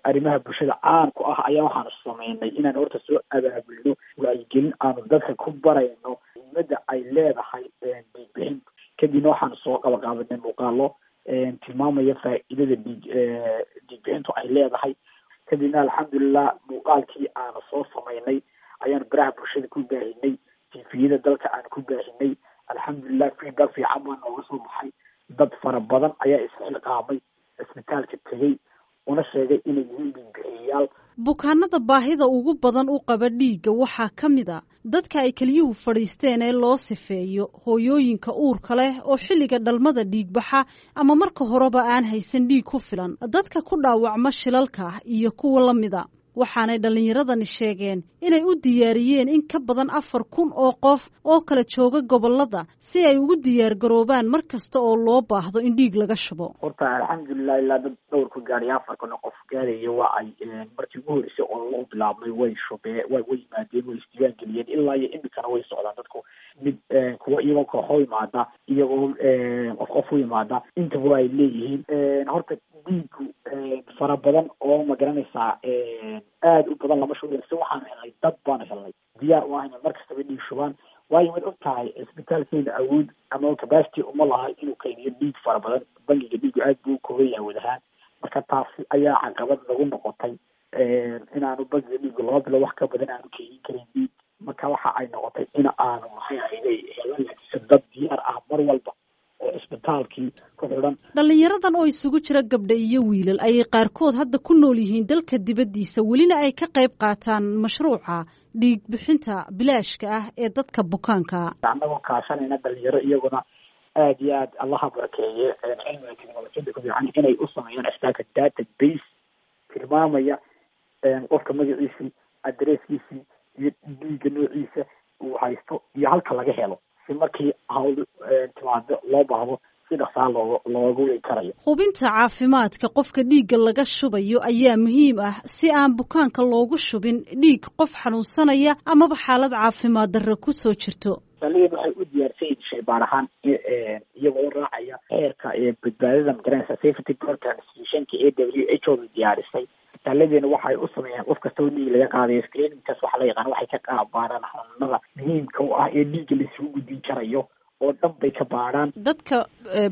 arrimaha bulshada caan ku ah ayaa waxaanu sameynay inaan horta soo abaabulno wacyigelin aanu dadka ku barayno muhiimadda ay leedahay dhiig bixinta. Kadibna waxaanu soo qabaqaabanay muuqaalo tilmaamaya faa'iidada dhiig bixintu ay leedahay. Kadibna alxamdulilah muuqaalkii aanu soo sameynay ayaanu baraha bulshada ku baahinay, TV-yada dalka aanu ku baahinay. Alxamdulilah feedback fiican baa nooga soo baxay. Dad fara badan ayaa isxilqaamay, cisbitaalka tegey, una sheegay inay yihiin dhiigbixiyayaal. Bukaanada baahida ugu badan u qaba dhiigga waxaa ka mid a dadka ay keliyuhu fadhiisteen ee loo sifeeyo, hooyooyinka uurka leh oo xilliga dhalmada dhiigbaxa ama marka horeba aan haysan dhiig ku filan, dadka ku dhaawacma shilalka iyo kuwa la mida. Waxaanay dhallinyaradani sheegeen inay u diyaariyeen in ka badan 4000 oo qof oo kala jooga gobolada si ay ugu diyaargaroobaan mar kasta oo loo baahdo in dhiig laga shubo. Horta alxamdulilah ilaa dad dhowr ku gaadhay 4000 oo qof gaadhaya waa ay markii ugu horreysay oo loo bilaabmay way shubee, way yimaadeen, way isdiiwaan geliyeen. Ilaa iyo imikana way socdaan dadku, mid kuwa iyagoo kooxo yimaada, iyagoo qof qof u yimaada, intaba ay leeyihiin. Horta dhiigu fara badan oo ma garanaysaa aada u badan lama shubi si waxaanu helnay dad baanu helnay diyaar u ahayna mar kastaba dhiig shubaan, waayo waad og tahay cisbitaalkeena awood ama capacity uma laha inuu kaydiyo dhiig fara badan. Bangiga dhiigu aad buu u kooban yahay awood ahaan. Marka taasi ayaa caqabad nagu noqotay inaanu bangiga dhiigu 2 bilo wax ka badan aanu keydin karin dhiig. Marka waxa ay noqotay in aanu maxay ahayday helan laakiinse dad diyaar ah mar walba oo cisbitaal cisbitaalkii ku xidhan. Dhallinyaradan oo isugu jira gabdha iyo wiilal ayay qaarkood hadda ku nool yihiin dalka dibaddiisa, welina ay ka qayb qaataan mashruuca dhiig bixinta bilaashka ah ee dadka bukaanka. Annagoo kaashanayna dhalinyaro iyaguna aada iyo aad allaha barakeeye cilmiga technolojiyada ku fiican inay u sameeyaan cisbitaalka database tilmaamaya qofka magaciisii, adresskiisii iyo dhiigga noociisa uu haysto iyo halka laga helo, si markii hawl timaado loo baahdo si dhaqsaa looga wegi karayo. Hubinta caafimaadka qofka dhiigga laga shubayo ayaa muhiim ah si aan bukaanka loogu shubin dhiig qof xanuunsanaya amaba xaalad caafimaad darro kusoo jirto. Isbitaaladeen waxay u diyaarsan yihiin shaybaar ahaan iyagoo raacaya xeerka badbaadada magaranaysa safety transfusionka ee WHO da diyaarisay. Isbitaalladeena waxay u sameeyaan qof kastoo dhiig laga qaadayo screeningkaas waxaa la yaqaan, waxay ka baaraan xanuunada muhiimka u ah ee dhiigga la isugu gudbin karayo oo dhan bay ka baaraan. Dadka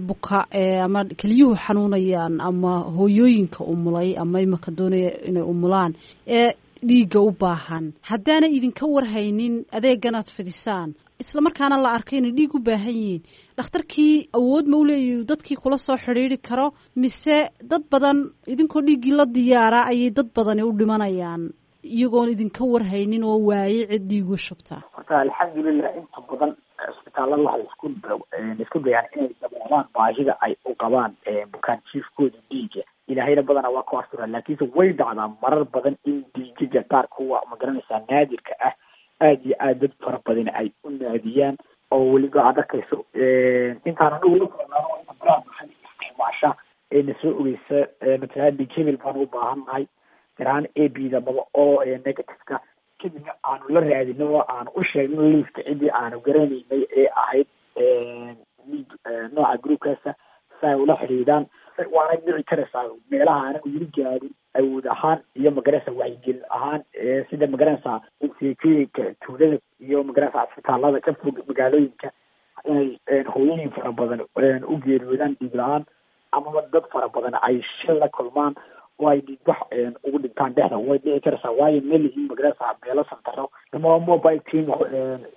buka ama keliyuhu xanuunayaan ama hooyooyinka umulay ama imaka doonaya inay umulaan ee dhiigga u baahan, haddaana idinka warhaynin adeeganaad fidisaan islamarkaana la arkay inay dhiig u baahan yihiin, dhakhtarkii awood ma u leeyahi dadkii kula soo xidhiiri karo, mise dad badan idinkoo dhiiggii la diyaaraa ayay dad badani u dhimanayaan iyagoon idinka warhaynin oo waayey cid dhiigu shubtaa? Horta alxamdulilah inta badan cisbitaalada waxay isku dayaan inay daboolaan baahida ay u qabaan bukaan jiifkooda dhiiga. Ilaahayna badanaa waa ku astura, laakiinse way dhacdaa marar badan in dhiigaga qaar kuwa magaranaysaa naadirka ah aada iyo aada dad fara badan ay u naadiyaan, oo weliba aad arkayso intaan anigu la kulnaano inta baraha bulshada isticmaasha ee na soo ogeysa, matalaan dhiig hebel baan u baahan nahay garahaan A B da maba oo negativeka, kadibna aanu la raadino oo aanu u sheegno liiska ciddii aanu garanaynay ee ahayd dhiig nooca groupkaasa si ay ula xidhiidhaan. Waana dhici karaysaa meelaha aanan weli gaadhin awood ahaan iyo magaranaysa wacyigelin ahaan, sida magaranaysaa seekooyinka tuulada iyo magaranaysaa cisbitaalada ka fog magaalooyinka inay hooyooyin fara badan u geeriyoodaan dhiig la-aan, amaba dad fara badan ay shil la kulmaan oo ay dhiigbax ugu dhintaan dhexda. Way dhici karaysaa, waayo melihiin magaranaysaa meelo santaro ama mobile team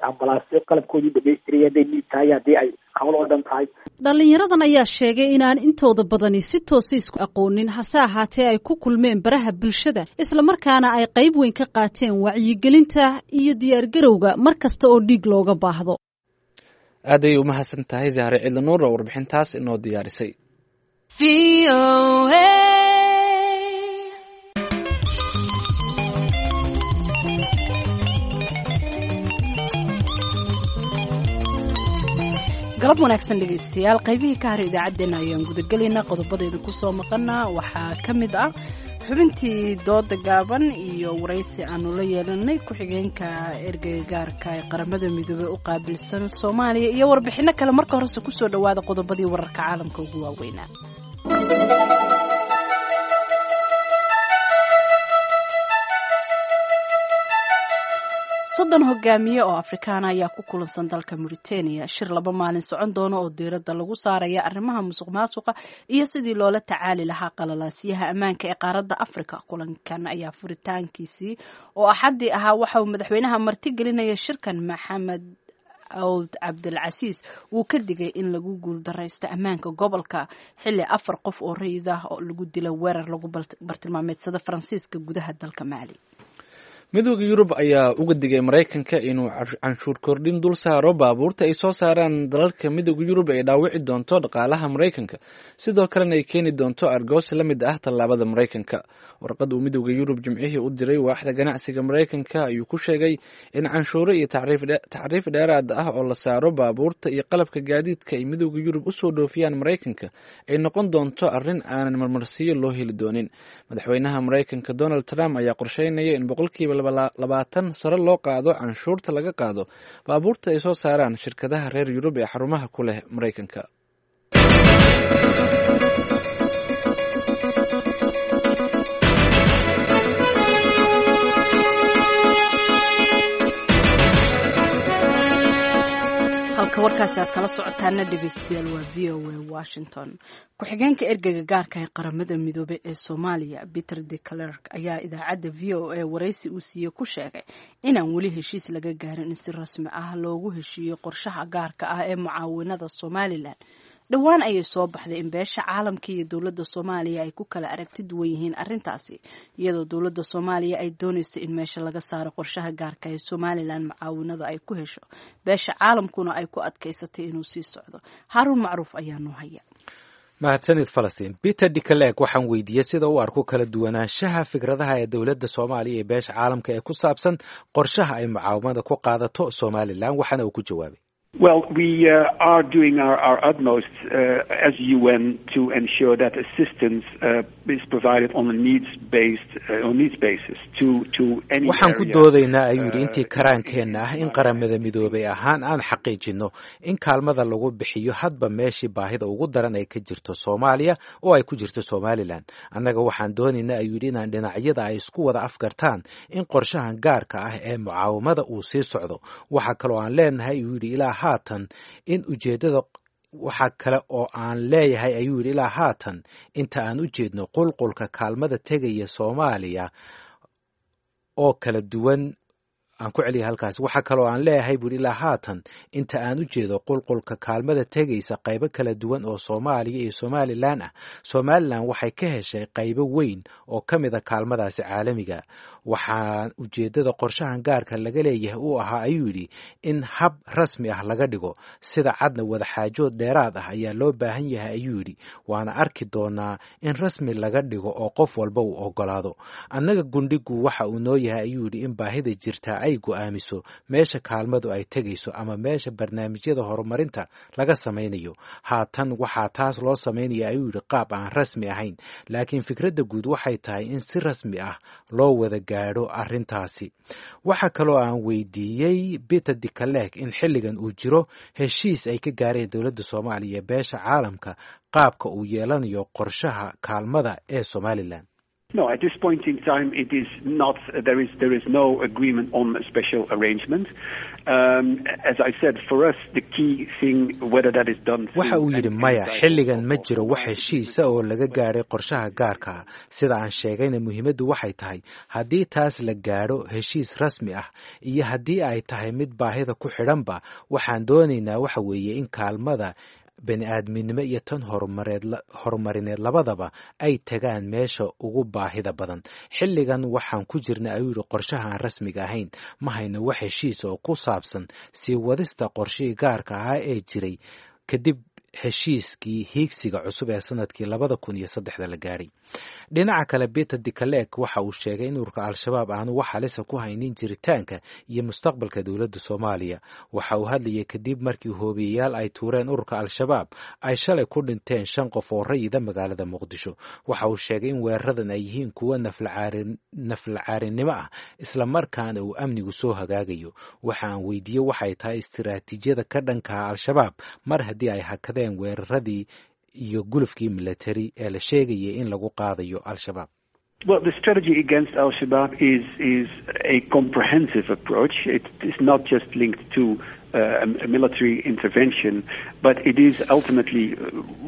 ambalaasyo qalabkoodii dhamaystiraya hadday dhiig tahay haddii ay hawl oo dhan tahay. Dhallinyaradan ayaa sheegay inaan intooda badani si toosa isku aqoonin, hase ahaatee ay ku kulmeen baraha bulshada islamarkaana ay qayb weyn ka qaateen wacyigelinta iyo diyaargarowga mar kasta oo dhiig looga baahdo. Aad ayay umahadsan tahay Zahre Ciidlanuur oo warbixintaas inoo diyaarisay. Galab wanaagsan dhegaystayaal, qaybihii ka haray idaacaddeenna ayaan gudagelaynaa. Qodobadeeda kusoo maqana waxaa ka mid ah xubintii dooda gaaban iyo waraysi aanu la yeelanay ku-xigeenka ergeyga gaarka ee Qaramada Midoobey u qaabilsan Soomaaliya iyo warbixino kale. Marka horese kusoo dhawaada qodobadii wararka caalamka ugu waaweynaa. 30 hogaamiye oo Afrikaana ayaa ku kulansan dalka Mauritania shir 2 maalin socon doona oo diiradda lagu saaraya arrimaha musuq maasuqa iyo sidii loola tacaali lahaa qalalaasyaha ammaanka ee qaaradda Afrika. Kulankan ayaa furitaankiisii oo Axaddii ahaa waxa uu madaxweynaha martigelinaya shirkan Maxamed Awd Cabdilcasiis uu ka digay in lagu guuldaraysto ammaanka gobolka, xilli 4 qof oo rayid ah oo lagu dila weerar lagu bartilmaameedsada Faransiiska gudaha dalka Maali. Midowda Yurub ayaa uga digay Maraykanka inuu canshuur kordhin dul saaro baabuurta ay soo saaraan dalalka Midowda Yurub ay dhaawici doonto dhaqaalaha Maraykanka, sidoo kalena ay keeni doonto argoosi la mid ah tallaabada Maraykanka. Warqad uu Midowda Yurub Jimcihii u diray waaxda ganacsiga Maraykanka ayuu ku sheegay in canshuuro iyo tacriif dheeraad ah oo la saaro baabuurta iyo qalabka gaadiidka ay Midowda Yurub usoo dhoofiyaan Maraykanka ay noqon doonto arrin aanan marmarsiyo loo heli doonin. Madaxweynaha Maraykanka Donald Trump ayaa qorsheynaya in 20% sare loo qaado canshuurta laga qaado baabuurta ay soo saaraan shirkadaha reer Yurub ee xarumaha ku leh Maraykanka. Halka warkaasi aad kala socotaana dhegeystayaal waa VOA Washington. Ku-xigeenka ergeyga gaarka ee Qaramada Midoobey ee Soomaaliya Peter de Clerk ayaa idaacadda VOA waraysi uu siiyey ku sheegay inaan weli heshiis laga gaarin in si rasmi ah loogu heshiiyo qorshaha gaarka ah ee mucaawinada Somalilan. Dhowaan ayay soo baxday in beesha caalamka iyo dowladda Soomaaliya ay ku kala aragti duwan yihiin arrintaasi, iyadoo dowladda Soomaaliya ay doonayso in meesha laga saaro qorshaha gaarka ee Somalilan mucaawinada ay ku hesho, beesha caalamkuna ay ku adkaysatay inuu sii socdo. Haaruun Macruuf ayaa noo haya. Mahadsanid Falastiin. Peter Dicaleeg waxaan weydiiyey sida uu arko kala duwanaanshaha fikradaha ee dowladda Soomaaliya iyo beesha caalamka ee ku saabsan qorshaha ay mucaawamada ku qaadato Somalilan, waxaana uu ku jawaabay: Well, we are doing our utmost as UN to ensure that assistance is provided on a needs-based on needs basis to any Waxaan ku doodaynaa, ayuu yidhi, intii karaankeenna ah in Qaramada Midoobay ahaan aan xaqiijinno in kaalmada lagu bixiyo hadba meeshii baahida ugu daran ay ka jirto Soomaaliya oo ay ku jirto Somalilan. Annaga waxaan doonaynaa, ayuu yidhi, inaan dhinacyada ay isku wada afgartaan in qorshahan gaarka ah ee mucaawamada uu sii socdo. Waxaa kaloo aan leenahay, ayuu yidhi, ilaa haatan in ujeeddada, waxaa kale oo aan leeyahay, ayuu yidhi, ilaa haatan inta aan u jeedno qulqulka kaalmada tegaya Soomaaliya oo kala duwan, aan ku celiya halkaas, waxaa kaloo aan leeyahay, buuri, ilaa haatan inta aan u jeedo qulqulka kaalmada tegaysa qaybo kala duwan oo Soomaaliya iyo Somalilan ah, Somalilan waxay ka heshay qaybo weyn oo ka mid a kaalmadaasi caalamiga. Waxaa ujeeddada qorshahan gaarka laga leeyahay uu ahaa, ayuu yidhi, in hab rasmi ah laga dhigo, sida cadna wadaxaajood dheeraad ah ayaa loo baahan yahay, ayuu yidhi, waana arki doonaa in rasmi laga dhigo oo qof walba uu ogolaado. Annaga gundhigu waxa uu noo yahay, ayuu yidhi, in baahida jirtaa ay go'aamiso meesha kaalmadu ay tegayso ama meesha barnaamijyada horumarinta laga samaynayo. Haatan waxaa taas loo samaynaya, ayuu yidhi, qaab aan rasmi ahayn, laakiin fikradda guud waxay tahay in si rasmi ah loo wada gaadho arrintaasi. Waxaa kaloo aan weydiiyey Peter Dicalek in xilligan uu jiro heshiis ay ka gaareen dowladda Soomaaliya iyo beesha caalamka qaabka uu yeelanayo qorshaha kaalmada ee Somalilan. No, at this point in time, it is not. There is no agreement on a special arrangement. As I said, for us, the key thing, whether that is done. Waxa uu yidhi, maya, xilligan ma jiro wax heshiisa oo laga gaadhay qorshaha gaarka. Sida aan sheegayna, muhiimaddu waxay tahay haddii taas la gaadho heshiis rasmi ah iyo haddii ay tahay mid baahida ku xidhanba, waxaan doonaynaa waxa weeye in kaalmada bani aadminimo iyo tan horumarineed labadaba ay tagaan meesha ugu baahida badan. Xilligan waxaan ku jirna, ayuu yidhi, qorshaha aan rasmiga ahayn. Ma hayno wax heshiis oo ku saabsan sii wadista qorshihii gaarka ahaa ee jiray kadib heshiiskii hiigsiga cusub ee sanadkii 2003-da la gaadhay. Dhinaca kale, Peter Dicalek waxa uu sheegay in ururka Al-Shabaab aanu wax halisa ku haynin jiritaanka iyo mustaqbalka dowladda Soomaaliya. Waxa uu hadlayay kadib markii hoobiyayaal ay tuureen ururka Al-Shabaab ay shalay ku dhinteen shan qof oo rayida magaalada Muqdisho. Waxa uu sheegay in weeraradan ay yihiin kuwo naflacaarinimo ah, islamarkaana uu amnigu soo hagaagayo. Waxa aan weydiiyey waxay tahay istiraatiijiyada ka dhankaha Al-Shabaab mar haddii ay hakadeen weeraradii iyo gulufkii military ee la sheegayay in lagu qaadayo Al-Shabaab. Well, the strategy against Al Shabaab is a comprehensive approach. It is not just linked to a military intervention, but it is ultimately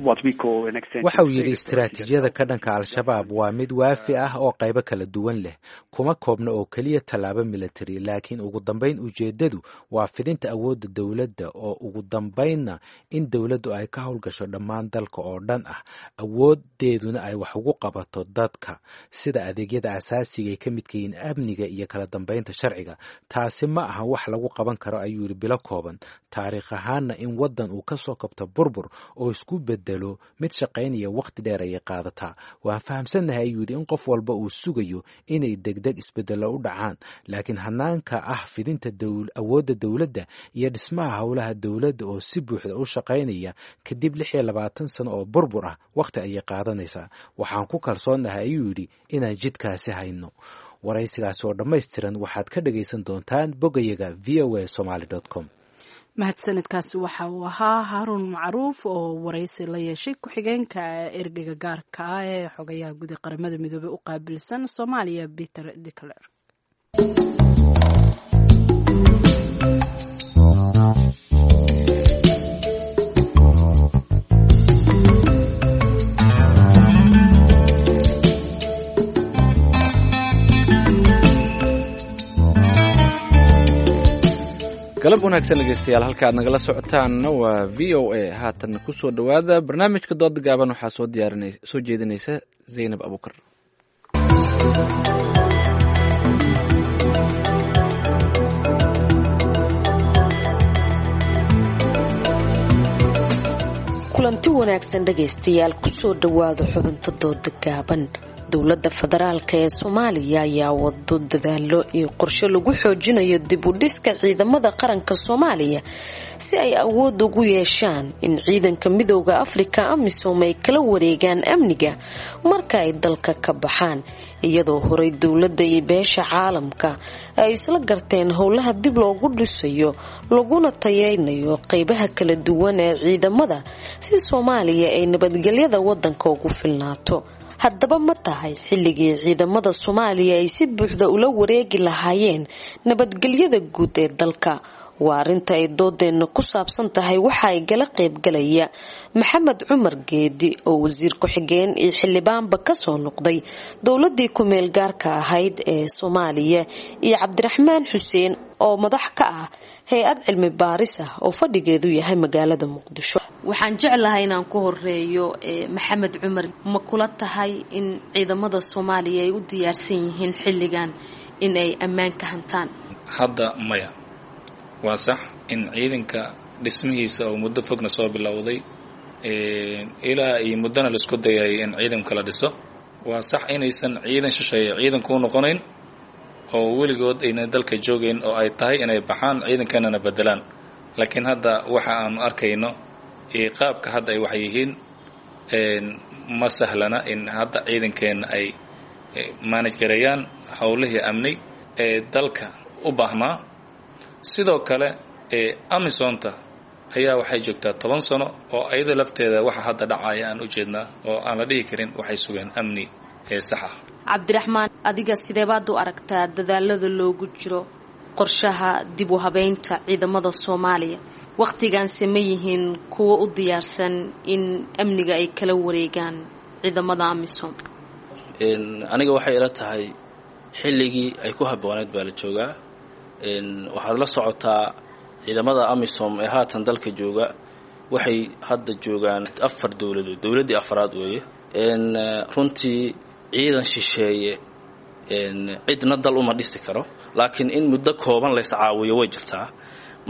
what we call an extension. Waxa uu yidhi, istiraatiijiyada ka dhanka Al-Shabaab waa mid waafi ah oo qaybo kala duwan leh. Kuma koobna oo keliya tallaabo military, laakiin ugu dambayn ujeeddadu waa fidinta awoodda dowladda oo ugu dambaynna in dowladdu ay ka howlgasho dhammaan dalka oo dhan ah, awoodeeduna ay wax ugu qabato dadka, sida adeegyada asaasiga ay ka midka yihiin amniga iyo kala dambaynta sharciga. Taasi ma aha wax lagu qaban karo, ayuu yidhi, bilo kooban. Taariikh ahaanna in waddan uu ka soo kabto burbur oo isku bedelo mid shaqaynaya wakhti dheer ayay qaadataa. Waan fahamsannahay, ayuu yidhi, in qof walba uu sugayo inay degdeg isbedello u dhacaan, laakiin hanaanka ah fidinta awoodda dowladda iyo dhismaha howlaha dowladda oo si buuxda u shaqaynaya kadib 26 sano oo burbur ah wakhti ayay qaadanaysaa. Waxaan ku kalsoonnahay, ayuu yidhi, inaan jidkaasi hayno. Waraysigaasi oo dhammaystiran waxaad ka dhagaysan doontaan bogayaga VOA Somaly com. Mahadsanidkaasi waxa uu ahaa Haaruun Macruuf oo waraysi la yeeshay ku-xigeenka ergeyga gaarka ah ee xogayaha guud ee Qaramada Midoobey u qaabilsan Soomaaliya, Peter Decler. Galab Galab wanaagsan dhegeystayaal, halka aad nagala socotaanna waa v o a. Haatan kusoo dhowaada barnaamijka dooda gaaban, waxaa soo diyaarin soo jeedinaysa Zaynab Abuukar. Kulanti wanaagsan dhegaystayaal, kusoo dhowaada xubinta dooda gaaban. Dowladda federaalka ee Soomaaliya ayaa wado dadaalo iyo qorshe lagu xoojinayo dib u dhiska ciidamada qaranka Soomaaliya si ay awood ugu yeeshaan in ciidanka Midooda Afrika AMISOM ay kala wareegaan amniga marka ay dalka ka baxaan, iyadoo horey dowladda iyo beesha caalamka ay isla garteen howlaha dib loogu dhisayo laguna tayeynayo qeybaha kala duwan ee ciidamada si Soomaaliya ay nabadgelyada wadanka ugu filnaato. Haddaba ma tahay xilligii ciidamada Soomaaliya ay si buuxda ula wareegi lahaayeen nabadgelyada guud ee dalka? Waa arrinta ay doodeenna ku saabsan tahay. Waxa ay gala qaybgalaya Maxamed Cumar Geedi oo wasiir ku-xigeen iyo xildhibaanba kasoo noqday dowladii ku-meel gaarka ahayd ee Soomaaliya, iyo Cabdiraxmaan Xuseen oo madax ka ah hay-ad cilmi baaris ah oo fadhigeedu yahay magaalada Muqdisho. Waxaan jeclahay inaan ku horeeyo Maxamed Cumar. Ma kula tahay in ciidamada Soomaaliya ay u diyaarsan yihiin xilligan in ay ammaan ka hantaan? Hadda maya. Waa sax in ciidanka dhismihiisa oo muddo fogna soo bilowday ilaa iyo muddona laisku dayay in ciidanka la dhiso. Waa sax inaysan ciidan shisheeye ciidankuu noqonayn oo weligood ayna dalka joogayn oo ay tahay inay baxaan ciidankanana bedelaan, laakiin hadda waxa aanu arkayno iyo qaabka hadda ay wax yihiin ma sahlana in hadda ciidankeenna ay manage gareeyaan howlihii amni ee dalka u baahnaa. Sidoo kale amisonta ayaa waxay joogtaa 10 sano oo ayada lafteeda waxa hadda dhacaya aan u jeednaa oo aan la dhihi karin waxay sugeen amni ee sax ah. Cabdiraxmaan, adiga sideebaad u aragtaa dadaalada loogu jiro qorshaha dib u habeynta ciidamada Soomaaliya? Wakhtigaanse ma yihiin kuwo u diyaarsan in amniga ay kala wareegaan ciidamada AMISOM? Aniga waxay ila tahay xilligii ay ku habbooneyd baa la joogaa. Waxaad la socotaa ciidamada AMISOM ee haatan dalka jooga waxay hadda joogaan 4 dowladood, dowladdii afraad weeye. Runtii ciidan shisheeye cidna dal uma dhisi karo, laakiin in muddo kooban lays caawiyo way jirtaa.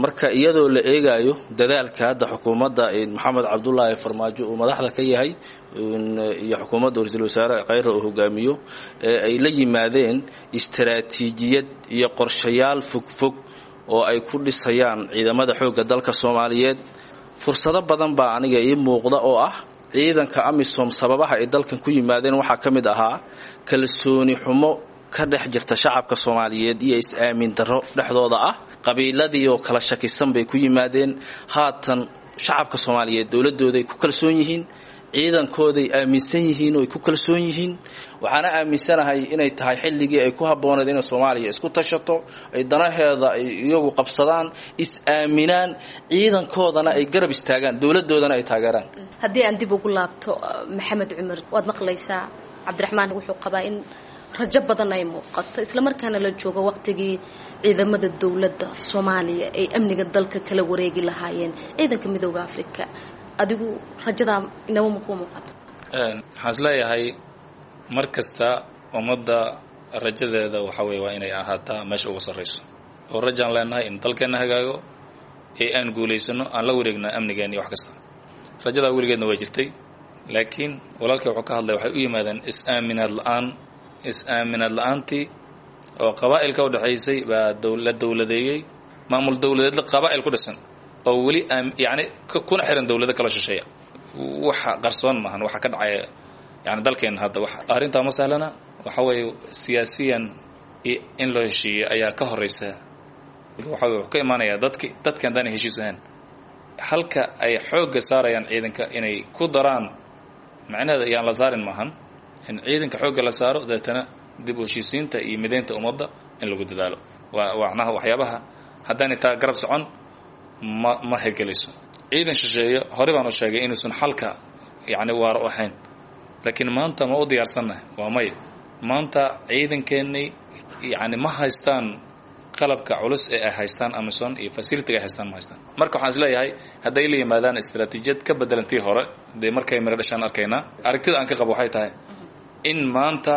Marka iyadoo la eegayo dadaalka hadda xukuumadda Maxamed Cabdulaahi Farmaajo uu madaxda ka yahay iyo xukuumadda ra-iisul wasaare Khayre uu hogaamiyo ee ay la yimaadeen istaraatiijiyad iyo qorshayaal fogfog oo ay ku dhisayaan ciidamada xoogga dalka Soomaaliyeed, fursado badan baa aniga ii muuqda oo ah ciidanka AMISOM sababaha ay dalkan ku yimaadeen waxaa ka mid ahaa kalsooni xumo ka dhex jirta shacabka Soomaaliyeed iyo is-aamin darro dhexdooda ah. Qabiiladii oo kala shakisan bay ku yimaadeen. Haatan shacabka Soomaaliyeed dowladooday ku kalsoon yihiin, ciidankooday aaminsan yihiin oo ay ku kalsoon yihiin. Waxaana aaminsanahay inay tahay xilligii ay ku habbooneed inay Soomaaliya isku tashato, ay danaheeda ay iyagu qabsadaan, is-aaminaan, ciidankoodana ay garab istaagaan, dowladoodana ay taageeraan. Haddii aan dib ugu laabto Maxamed Cumar, waad maqlaysaa Cabdiraxmaan wuxuu qabaa in rajo badan ay muuqato islamarkaana la joogo waqtigii ciidamada dowladda Soomaaliya ay amniga dalka kala wareegi lahaayeen ciidanka Midooda Afrika. Adigu rajadaa inaba ma kuu muuqato? Waxaan is leeyahay mar kasta ummadda rajadeeda waxa weye waa inay ahaataa meesha ugu sarrayso, oo rajaan leenahay in dalkeenna hagaago ee aan guulaysano, aan la wareegno amnigeena iyo wax kasta. Rajadaa weligeedna waa jirtay, laakiin walaalkay wuxuu ka hadlay waxay u yimaadeen is-aaminaad la-aan. Is-aaminaad la-aantii oo qabaa'ilka u dhexaysay baa la dowladeeyey, maamul dowladeed qabaa'il ku dhisan oo weli yacni kuna xiran dowlado kala shisheeya. Waxa qarsoon maahan waxa ka dhacaya yani dalkeena hadda. Wax arrintaa ma sahlana. Waxa weeye siyaasiyan in loo heshiiyey ayaa ka horeysa. Waxa weye wuxuu ka imaanayaa dadki dadkan haddaan heshiis ahayn, halka ay xoogga saarayaan ciidanka inay ku daraan macnaheeda ayaan la saarin maahan in ciidanka xoogga la saaro, deetana dib u heshiisiinta iyo mideynta ummadda in lagu dadaalo. Waa macnaha waxyaabaha haddaanay taa garab socon ma hirgelayso. Ciidan shisheeye hore baan u sheegay inuusan xalka yacni waara u ahayn, laakiin maanta ma u diyaarsannahay? Waa maya. Maanta ciidankeennii yacni ma haystaan Qalabka culus ee ay haystaan Amison iyo facility-ga ay haystaan ma haystaan. Marka waxaan isleeyahay hadday la yimaadaan istaraatiijiyad ka bedelan tii hore, dee markay miro dhashaan arkaynaa. Aragtida aan ka qabo waxay tahay in maanta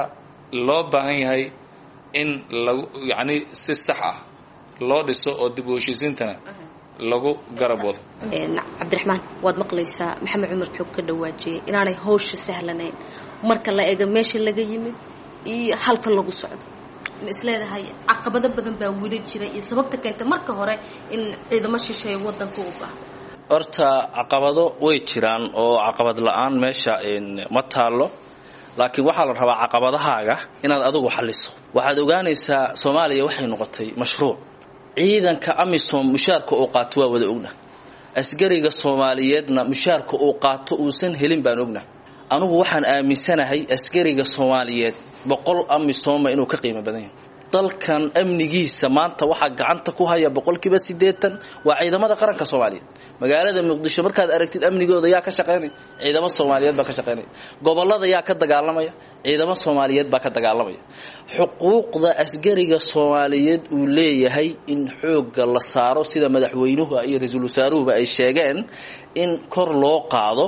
loo baahan yahay in lagu yacni si sax ah loo dhiso oo dib u heshiisiintana lagu garab wado. Cabdiraxmaan, waad maqlaysaa Maxamed Cumar wuxuu ka dhawaajiyey inaanay hawsha sahlanayn marka la eego meesha laga yimid iyo halka lagu socdo. Ma isleedahay caqabado badan baa weli jira iyo sababta keenta marka hore in ciidamo shisheeye wadanka u baahdo? Horta caqabado way jiraan oo caqabad la-aan meesha ma taallo, laakiin waxaa la rabaa caqabadahaaga inaad adigu xalliso. Waxaad ogaanaysaa Soomaaliya waxay noqotay mashruuc. Ciidanka AMISOM mushaarka uu qaato waa wada ogna, askariga Soomaaliyeedna mushaarka uu qaato uusan helin baan ogna. Anugu waxaan aaminsanahay askariga Soomaaliyeed 100 AMISOMa inuu ka qiimo badan yahay. Dalkan amnigiisa maanta waxaa gacanta ku haya 80% waa ciidamada qaranka Soomaaliyeed. Magaalada Muqdisho markaad aragtid amnigooda yaa ka shaqaynaya? Ciidamo Soomaaliyeed baa ka shaqaynaya. Gobolada yaa ka dagaalamaya? Ciidamo Soomaaliyeed baa ka dagaalamaya. Xuquuqda askariga Soomaaliyeed uu leeyahay in xoogga la saaro, sida madaxweynuhu iyo ra-iisul wasaaruhuba ay sheegeen in kor loo qaado.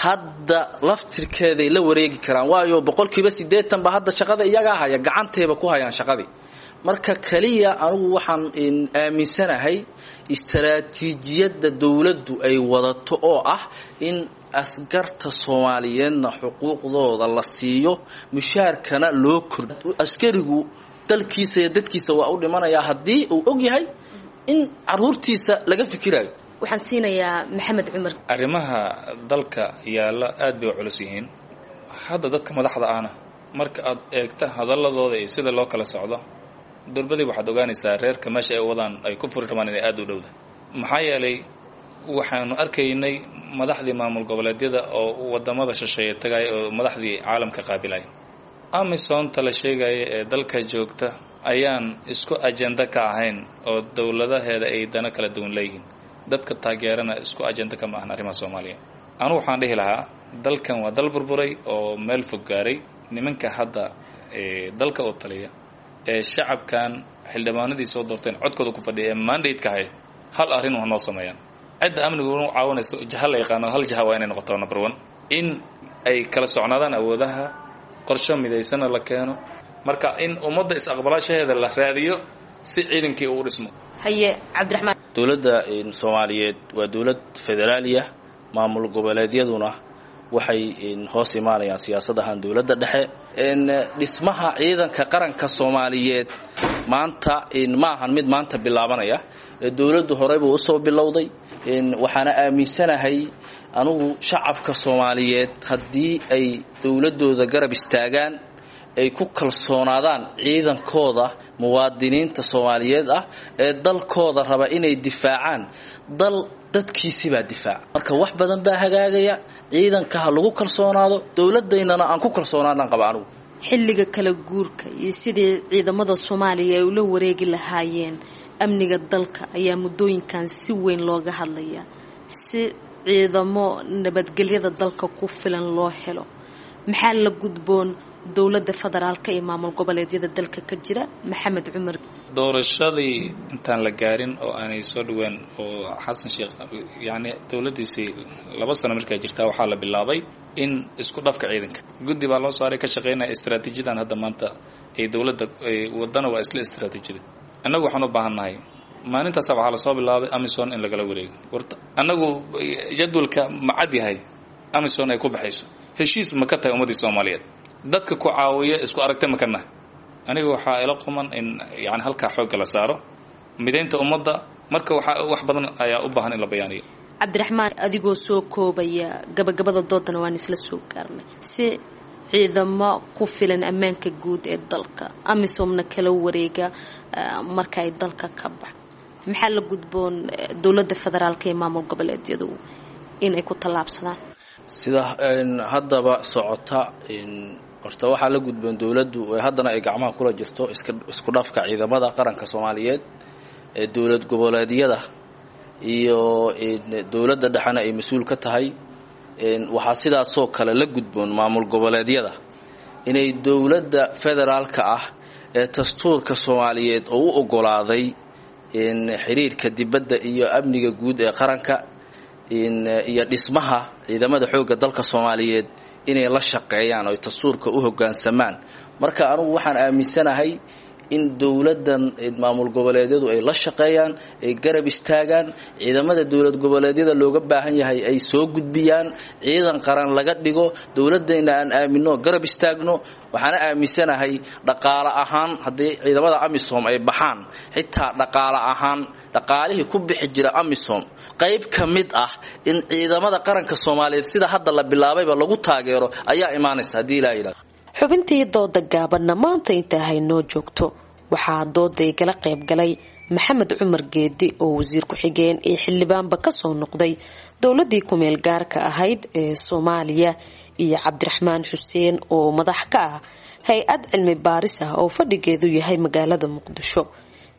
Hadda laftirkeeday la wareegi karaan, waayo 80% ba hadda shaqada iyagaa haya, gacantayba ku hayaan shaqadii. Marka kaliya anigu waxaan aaminsanahay istaraatiijiyadda dowladdu ay wadato oo ah in askarta Soomaaliyeedna xuquuqdooda la siiyo, mushaarkana loo kordhiyo. Askarigu dalkiisa iyo dadkiisa waa u dhimanayaa haddii uu og yahay in caruurtiisa laga fikirayo. Waxaan siinayaa Maxamed Cumar. Arrimaha dalka yaalla aad bay u culus yihiin. Hadda dadka madaxda ahna marka aad eegta hadaladooda iyo sida loo kala socdo, durbadii waxaad ogaanaysaa reerka meesha ay wadaan ay ku furi rabaan inay aada u dhowda. Maxaa yeelay waxaanu arkaynay madaxdii maamul goboleedyada oo wadamada shisheeye tagaya oo madaxdii caalamka qaabilaya. Amisonta la sheegaya ee dalka joogta ayaan isku ajenda ka ahayn oo dowladaheeda ay dano kala duwan leeyihiin. Dadka taageerana isku ajenda kama ahan arrimaha Soomaaliya. Anugu waxaan dhihi lahaa dalkan waa dal burburay oo meel fog gaaray. Nimanka hadda ee dalka oo taliya ee shacabkan xildhibaanadii soo doorteen codkooda ku fadhiya ee mandate-ka haya, hal arrin wax noo sameeyaan. Cidda amnigu u caawinayso jaha la yaqaano, hal jaha waa inay noqoto. Number one, in ay kala socnaadaan awoodaha, qorsho midaysana la keeno. Marka in ummadda is-aqbalaashaheeda la raadiyo si ciidankii uu dhismo. Haye Cabdiraxmaan. Dowladda Soomaaliyeed waa dowlad federaaliya, maamul goboleedyaduna waxay hoos imaanayaan siyaasadahan dowladda dhexe. Dhismaha ciidanka qaranka Soomaaliyeed maanta ma ahan mid maanta bilaabanaya, dowladdu horey buu usoo bilowday. Waxaana aaminsanahay anugu shacabka Soomaaliyeed haddii ay dowladooda garab istaagaan, ay ku kalsoonaadaan ciidankooda, muwaadiniinta Soomaaliyeed ah ee dalkooda raba inay difaacaan, dal dadkiisibaa difaaca. Marka wax badan baa hagaagaya. Ciidanka ha lagu kalsoonaado, dowladaynana aan ku kalsoonaadaan qaba anugu. Xilliga kala guurka iyo sidii ciidamada Soomaaliya ay ula wareegi lahaayeen amniga dalka ayaa muddooyinkan si weyn looga hadlayaa si ciidamo nabadgelyada dalka ku filan loo helo. Maxaa la gudboon dowladda federaalka iyo maamul goboleedyada dalka ka jira? Maxamed Cumar. Doorashadii intaan la gaarin oo aanay soo dhaween oo Xasan Sheekh yacni dowladdiisii 2 sano markaa jirtaa, waxaa la bilaabay in isku dhafka ciidanka guddi baa loo saaray ka shaqeynaya istaraatiijiyadan hadda maanta ay dowladda wadana waa isla istaraatiijiyada. Annagu waxaan u baahannahay maalintaasa waxaa lasoo bilaabay Amison in lagala wareego. Warta annagu jadwalka ma cad yahay Amison ay ku baxayso? Heshiis ma ka tahay ummaddii Soomaaliyeed? Dadka ku caawiya isku aragta ma ka nahay? Aniga waxaa ila quman in yani halkaa xoogga la saaro midaynta ummadda. Marka waxa wax badan ayaa u baahan in la bayaaniyo. Cabdiraxmaan, adigoo soo koobaya gabagabada doodana waan isla soo gaarnay, si ciidamo ku filan ammaanka guud ee dalka amisomna kala wareega marka ay dalka ka bax, maxaa la gudboon dowladda federaalka iyo maamul goboleedyadu inay ku tallaabsadaan? Sida haddaba socota, horta waxaa la gudboon dowladdu haddana ay gacmaha kula jirto isku dhafka ciidamada qaranka Soomaaliyeed ee dowlad goboleedyada iyo dowladda dhexena ay mas-uul ka tahay. Waxaa sidaasoo kale la gudboon maamul goboleedyada inay dowladda federaalka ah Dastuurka Soomaaliyeed oo u ogolaaday xiriirka dibadda iyo amniga guud ee qaranka iyo dhismaha ciidamada xoogga dalka Soomaaliyeed inay la shaqeeyaan oo dastuurka u hoggaansamaan. Marka anigu waxaan aaminsanahay in dowladan maamul goboleedyadu ay la shaqeeyaan, ay garab istaagaan, ciidamada dowlad goboleedyada looga baahan yahay ay soo gudbiyaan, ciidan qaran laga dhigo, dowladayna aan aamino, garab istaagno. Waxaana aaminsanahay dhaqaale ahaan haddii ciidamada AMISOM ay baxaan, xitaa dhaqaale ahaan dhaqaalihii ku bixi jira AMISOM qayb ka mid ah in ciidamada qaranka Soomaaliyeed sida hadda la bilaabayba lagu taageero ayaa imaanaysa haddii Ilaahay yidhaahdo. Xubintii dooda gaabanna maanta inta haynoo joogto. Waxaa dooda igala qayb galay Maxamed Cumar Geedi oo wasiir ku-xigeen ee xildhibaanba kasoo noqday dowladii ku-meel gaarka ahayd ee Soomaaliya, iyo Cabdiraxmaan Xuseen oo madax ka ah hay-ad cilmi baaris ah oo fadhigeedu yahay magaalada Muqdisho.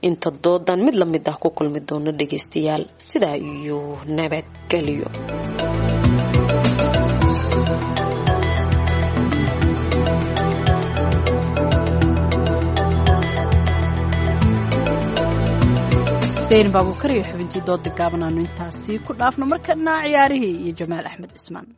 Inta doodan mid lamid ah ku kulmi doono dhageystayaal, sidaa iyo nabadgelyo. Zayn Baabukar iyo xubintii dooda gaaban aanu intaasi ku dhaafno. Markana ciyaarihii iyo Jamaal Axmed Cismaan.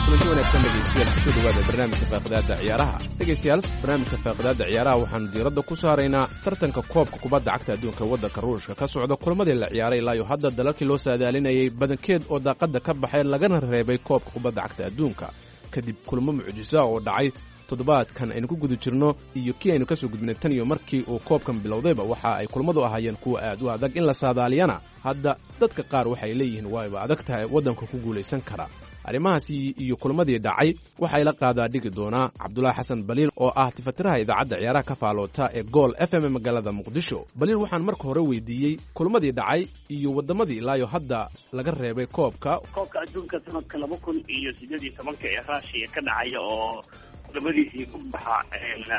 Kulanti wanaagsan dhegeystayaal, kusoo dhawaada barnaamijka faaqidaada ciyaaraha. Dhegeystayaal, barnaamijka faaqidaada ciyaaraha waxaanu diiradda ku saaraynaa tartanka koobka kubadda cagta adduunka waddanka Ruushka ka socda, kulamadii la ciyaaray ilaa iyo hadda, dalalkii loo saadaalinayay badankeed oo daaqadda ka baxay lagana reebay koobka kubadda cagta adduunka kadib kulmo mucjisa oo dhacay toddobaadkan aynu ku guda jirno iyo kii aynu kasoo gudbinay. Tan iyo markii uu koobkan bilowdayba waxa ay kulmadu ahaayeen kuwa aad u adag in la saadaaliyana. Hadda dadka qaar waxay leeyihiin waayba adag tahay waddanka ku guulaysan kara. Arrimahaasi iyo kulmadii dhacay waxay la qaadaa dhigi doonaa Cabdulaahi Xasan Baliil oo ah tifatiraha idaacadda ciyaaraha ka faaloota ee Gool FM ee magaalada Muqdisho. Baliil waxaan marka hore weydiiyey kulmadii dhacay iyo waddamadii ilaayo hadda laga reebay koobka. Koobka adduunka sanadka 2018-ka ee Raashiya ka dhacaya oo kulamadiisii ku baxa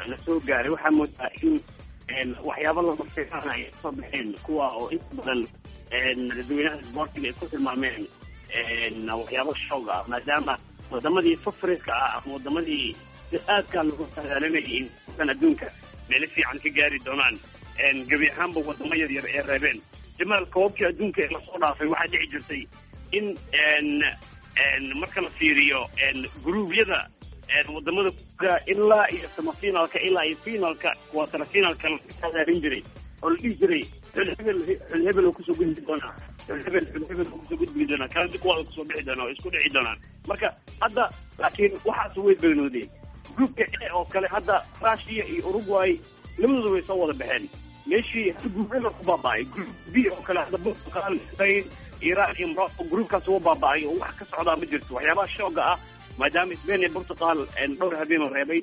la soo gaaray, waxaa moodaa in waxyaabo lama filaan ay kasoo baxeen, kuwa oo inta badan dadweynaha isboortiga ay ku tilmaameen waxyaabo shoog ah, maadaama wadamadii fafriska ah ama wadamadii aadkaa lagu saadaalinayay in kan adduunka meelo fiican ka gaari doonaan gebi ahaanba wadamo yar yar ee reebeen. Jamaal, koobabkii adduunka ee lasoo dhaafay waxaa dhici jirtay in marka la fiiriyo guruubyada wadamada ilaa iyo semifinalka ilaa iyo finalka, quarter finalka la saadaalin jiray oo la dhihi jiray xul hebel xul hebel oo kusoo gudbi doonaa, xul hebel xul hebel oo kusoo gudbi doonaa, kaladi kuwaada kusoo bixi doonaa oo isku dhici doonaan. Marka hadda laakiin waxaas way beenoodeen. Groupka A oo kale hadda Russia iyo Uruguay labadooda way soo wada baxeen, meeshii hal group eber ku baaba'ay. Group B oo kale hadda Portugal, Spain, Iran iyo Morocco groupkaas waa baaba'ay oo wax ka socdaa ma jirto. Waxyaabaha shooga ah maadaama Spain iyo Portugal dhowr habeen oo reebay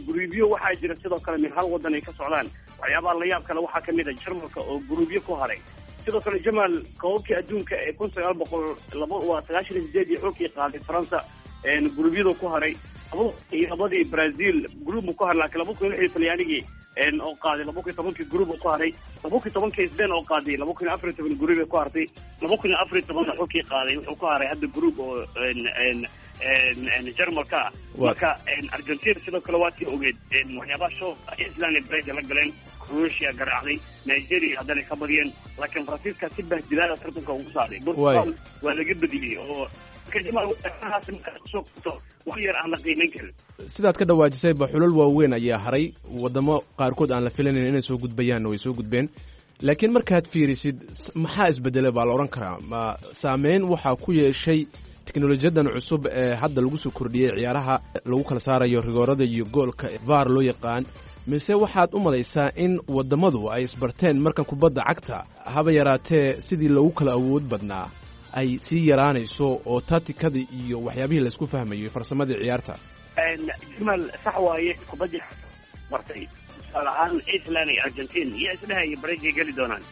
gruubyo, waxaa jira sidoo kale min hal wadan ay ka socdaan. Waxyaabaha la yaab kale waxaa kamid a Jarmalka oo gruubyo ku haray. Sidoo kale Jamaal, koobabkii adduunka ee 1998 iyo xulkii qaaday Faransa gruubyadu ku haray, 2002-dii Brazil group ku haray, laakiin 2006 Talyaanigii oo qaaday 2010-kii group ku haray, 2010-kii Spain oo qaaday 2014 group ku hartay, 2014 xulkii qaaday wuxuu ku haray hadda group oo Jarmalka ah. Marka Argentina sidoo kale waa tii ogeed waxyaabaha show Island iyo Brazil la galeen, Croatia garaacday, Nigeria haddana ka badiyeen, laakiin Faransiiska si bahdilaada tartanka ugu saaray. Portugal waa laga badiyey oo wax yar aan la qiimeyn karin. Sidaad ka dhawaajisayba xulal waaweyn ayaa haray, waddamo qaarkood aan la filanayn inay soo gudbayaanna way soo gudbeen. Laakiin markaad fiirisid maxaa isbedelay baa la odhan karaa? Ma saameyn waxaa ku yeeshay teknolojiyadan cusub ee hadda lagu soo kordhiyey ciyaaraha lagu kala saarayo rigoorada iyo goolka VAR loo yaqaan, mise waxaad u malaysaa in waddamadu ay isbarteen markan kubadda cagta haba yaraatee sidii loogu kala awood badnaa ay sii yaraanayso oo taatikadii iyo waxyaabihii laysku fahmayo farsamadii ciyaarta? Jamaal, sax waaye, kubaddii bartay tusaale ahaan Iceland iyo Argentina iyo isdhehaya bareejay geli doonaan,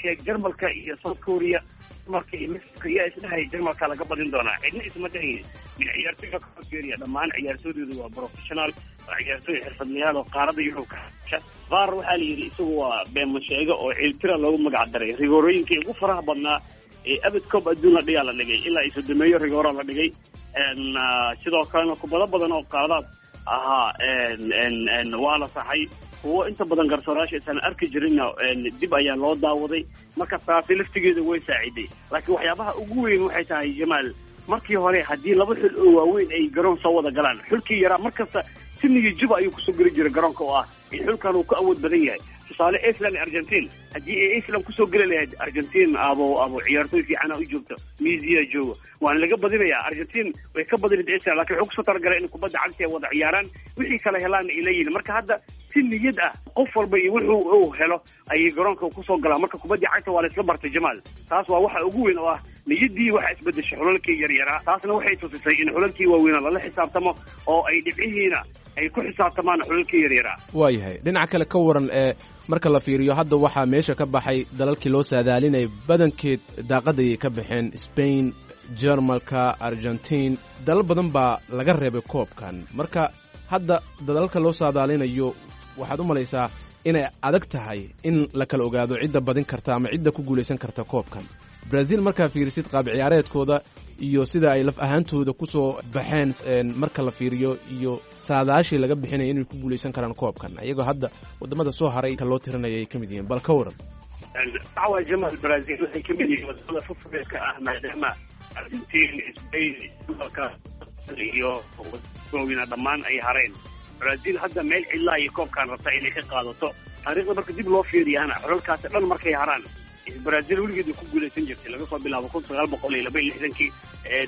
sheeg Jarmalka iyo South Korea, Jarmalka iyo Mexico yaa isdhehaya Jarmalka laga badin doonaa, cidna isma dhahayn. Min ciyaartoyga ka fiiriya dhammaan ciyaartooydoodu waa professional, waa ciyaartooy xirfadlayaal oo qaaradda Yurub ka VAR waxaa la yidhi isagu waa beenmasheego oo ciiltira loogu magac daray. Rigoorooyinkii ugu faraha badnaa ee abid koob adduun la dhigaa la dhigay, ilaa iyo sodomeeyo rigoora la dhigay. Sidoo kalena kubado badan oo qaadaad ahaa waa la saxay, kuwo inta badan garsoorayaasha isaan arki jirinna dib ayaa loo daawaday. Marka taasi laftigeeda way saaciday, laakiin waxyaabaha ugu weyn waxay tahay Jamaal, markii hore haddii laba xul oo waaweyn ay garoon soo wada galaan, xulkii yaraa markasta sinigii juba ayuu kusoo geli jiray garoonka oo ah in xulkan uu ka awood badan yahay. Tusaale Iceland iyo Argentine, haddii ay Iceland kusoo geli lahayd Argentine abo ciyaartoy fiicana u joogto, Messi joogo, waana laga badinayaa. Argentine way ka badinayd Iceland, laakiin wuxuu kusoo talagalay in kubadda cagta ay wada ciyaaraan, wixii kala helaana ay leeyihiin. Marka hadda si niyad ah qof walba iyo wuxuu uu helo ayay garoonka kusoo galaan. Marka kubadda cagta waa la isla bartay Jamaal, taas waa waxa ugu weyn oo ah niyaddii waxa isbedeshay xulalkii yaryaraa, taasna waxay tusisay in xulalkii waaweynaa lala xisaabtamo oo ay dhibcihiina ay ku xisaabtamaan xulalkii yaryaraa. Waayahay, dhinaca kale ka waran ee marka la fiiriyo hadda waxaa meesha ka baxay dalalkii loo saadaalinayay badankeed daaqadayay ka baxeen, Spain, Jermalka, Argentine, dalal badan baa laga reebay koobkan. Marka hadda dalalka loo saadaalinayo waxaad u malaysaa inay adag tahay in la kala ogaado cidda badin karta ama cidda ku guulaysan karta koobkan. Brazil markaa fiirisid qaab ciyaareedkooda iyo sida ay laf ahaantooda kusoo baxeen marka la fiiriyo iyo saadaashii laga bixinaya inay ku guulaysan karaan koobkan, iyagoo hadda wadamada soo haray ka loo tirinaya ay ka mid yihiin, bal ka waran. Dacwa Jamal, Brazil waxay ka mid yihiin wadamada fufreedka ah, maadaama Argentine, Spain, dalka iyo waaweyna dhammaan ay hareen. Brazil hadda meel cidlaa iyo koobkan rabtaa inay ka qaadato. Taariikhda marka dib loo fiiriyana xulalkaasi dhan markay haraan, Brazil weligeed way ku guulaysan jirtay, laga soo bilaabo 1962-kii,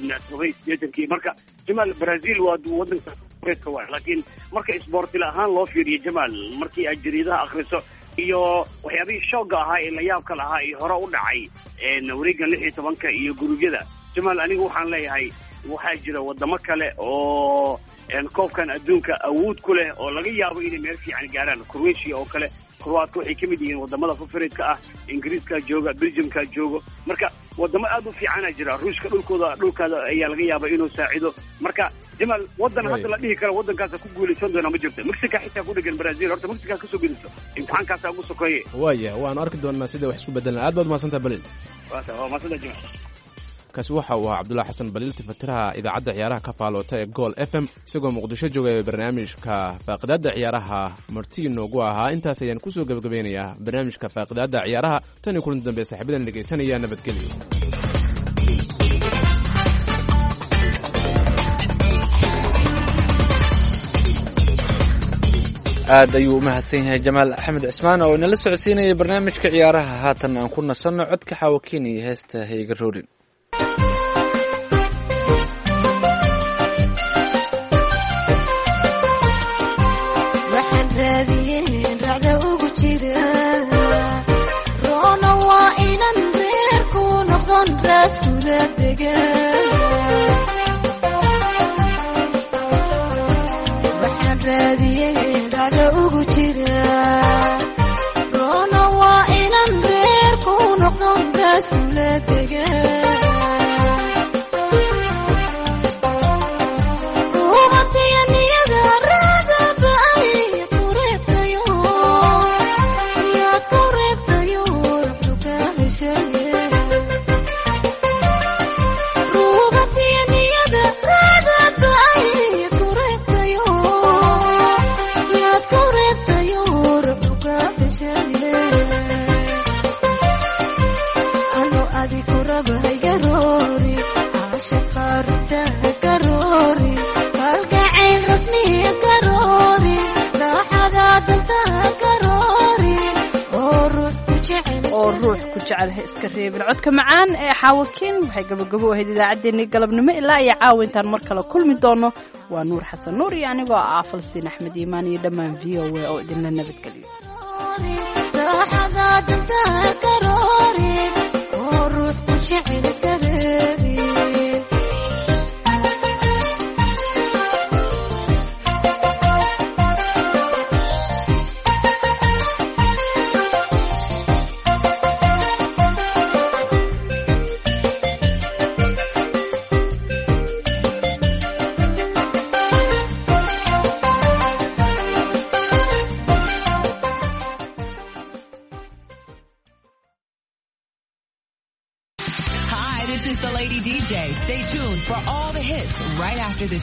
87-kii. Marka Jamaal, Brazil waa wadanka reedka waay, laakiin marka isboortila ahaan loo fiiriyo Jamaal, markii aad jariidaha akhriso iyo waxyaabihii shoogga ahaa ee la yaabka lahaa iyo hore u dhacay wareeggan 16-ka iyo gurubyada, Jamaal anigu waxaan leeyahay waxaa jira wadamo kale oo koobkan adduunka awood ku leh oo laga yaabo inay meel fiican gaaraan. Croatia oo kale, Croatka waxay ka mid yihiin wadamada fafareedka ah, Ingiriiska jooga, Belgiumka joogo, marka wadamo aad u fiicana jira. Ruushka dhulkooda dhulkaada ayaa laga yaaba inuu saacido. Marka Jamaal, wadan hadda la dhihi karo wadankaasa ku guulaysan doona ma jirto. Mexica xitaa ku dhegan Brazil, horta Mexica kasoo geliso imtixaankaasa ugu sokeeye. Waaya, waanu arki doonaa sida wax isku bedelan. Aad baad umahadsantaha Baliil. Waa mahadsantaha Jamaal. Kaasi waxa uu ahaa Cabdullahi Xasan Baliil, tifatiraha idaacadda ciyaaraha ka faaloota ee Gool FM, isagoo Muqdisho joogaya barnaamijka faaqidaadda ciyaaraha marti inoogu ahaa. Intaas ayaan kusoo gebagabeynayaa barnaamijka faaqidaadda ciyaaraha. Tan iyo kulanti dambe saaxiibadan dhegaysanaya, nabadgelyo. Aad ayuu u mahadsan yahay Jamaal Axmed Cismaan oo inala socodsiinayay barnaamijka ciyaaraha. Haatan aan ku nasanno codka Xaawakiin iyo heesta Hayga Roorin. Waxaan raadiyeen racda ugu jira roona waa inan reerku noqdon raaskula degan. Waxaan raadiyeen racda ugu jira roona waa inan reerku noqdon raaskula degan. Oo ruux ku jecel ha iska reebin. Codka macaan ee Xaawakiin waxay gabagabo ahayd idaacaddeenii galabnimo. Ilaa iyo caawa intaan mar kale kulmi doono, waa Nuur Xasan Nuur iyo anigoo ah Falsiin Axmed Iimaan iyo dhammaan VOA oo idinla nabadgeliyo. Raaxada danta karoori oo ruux ku jecel iska reebin. DJ. Stay tuned for all the hits right after this.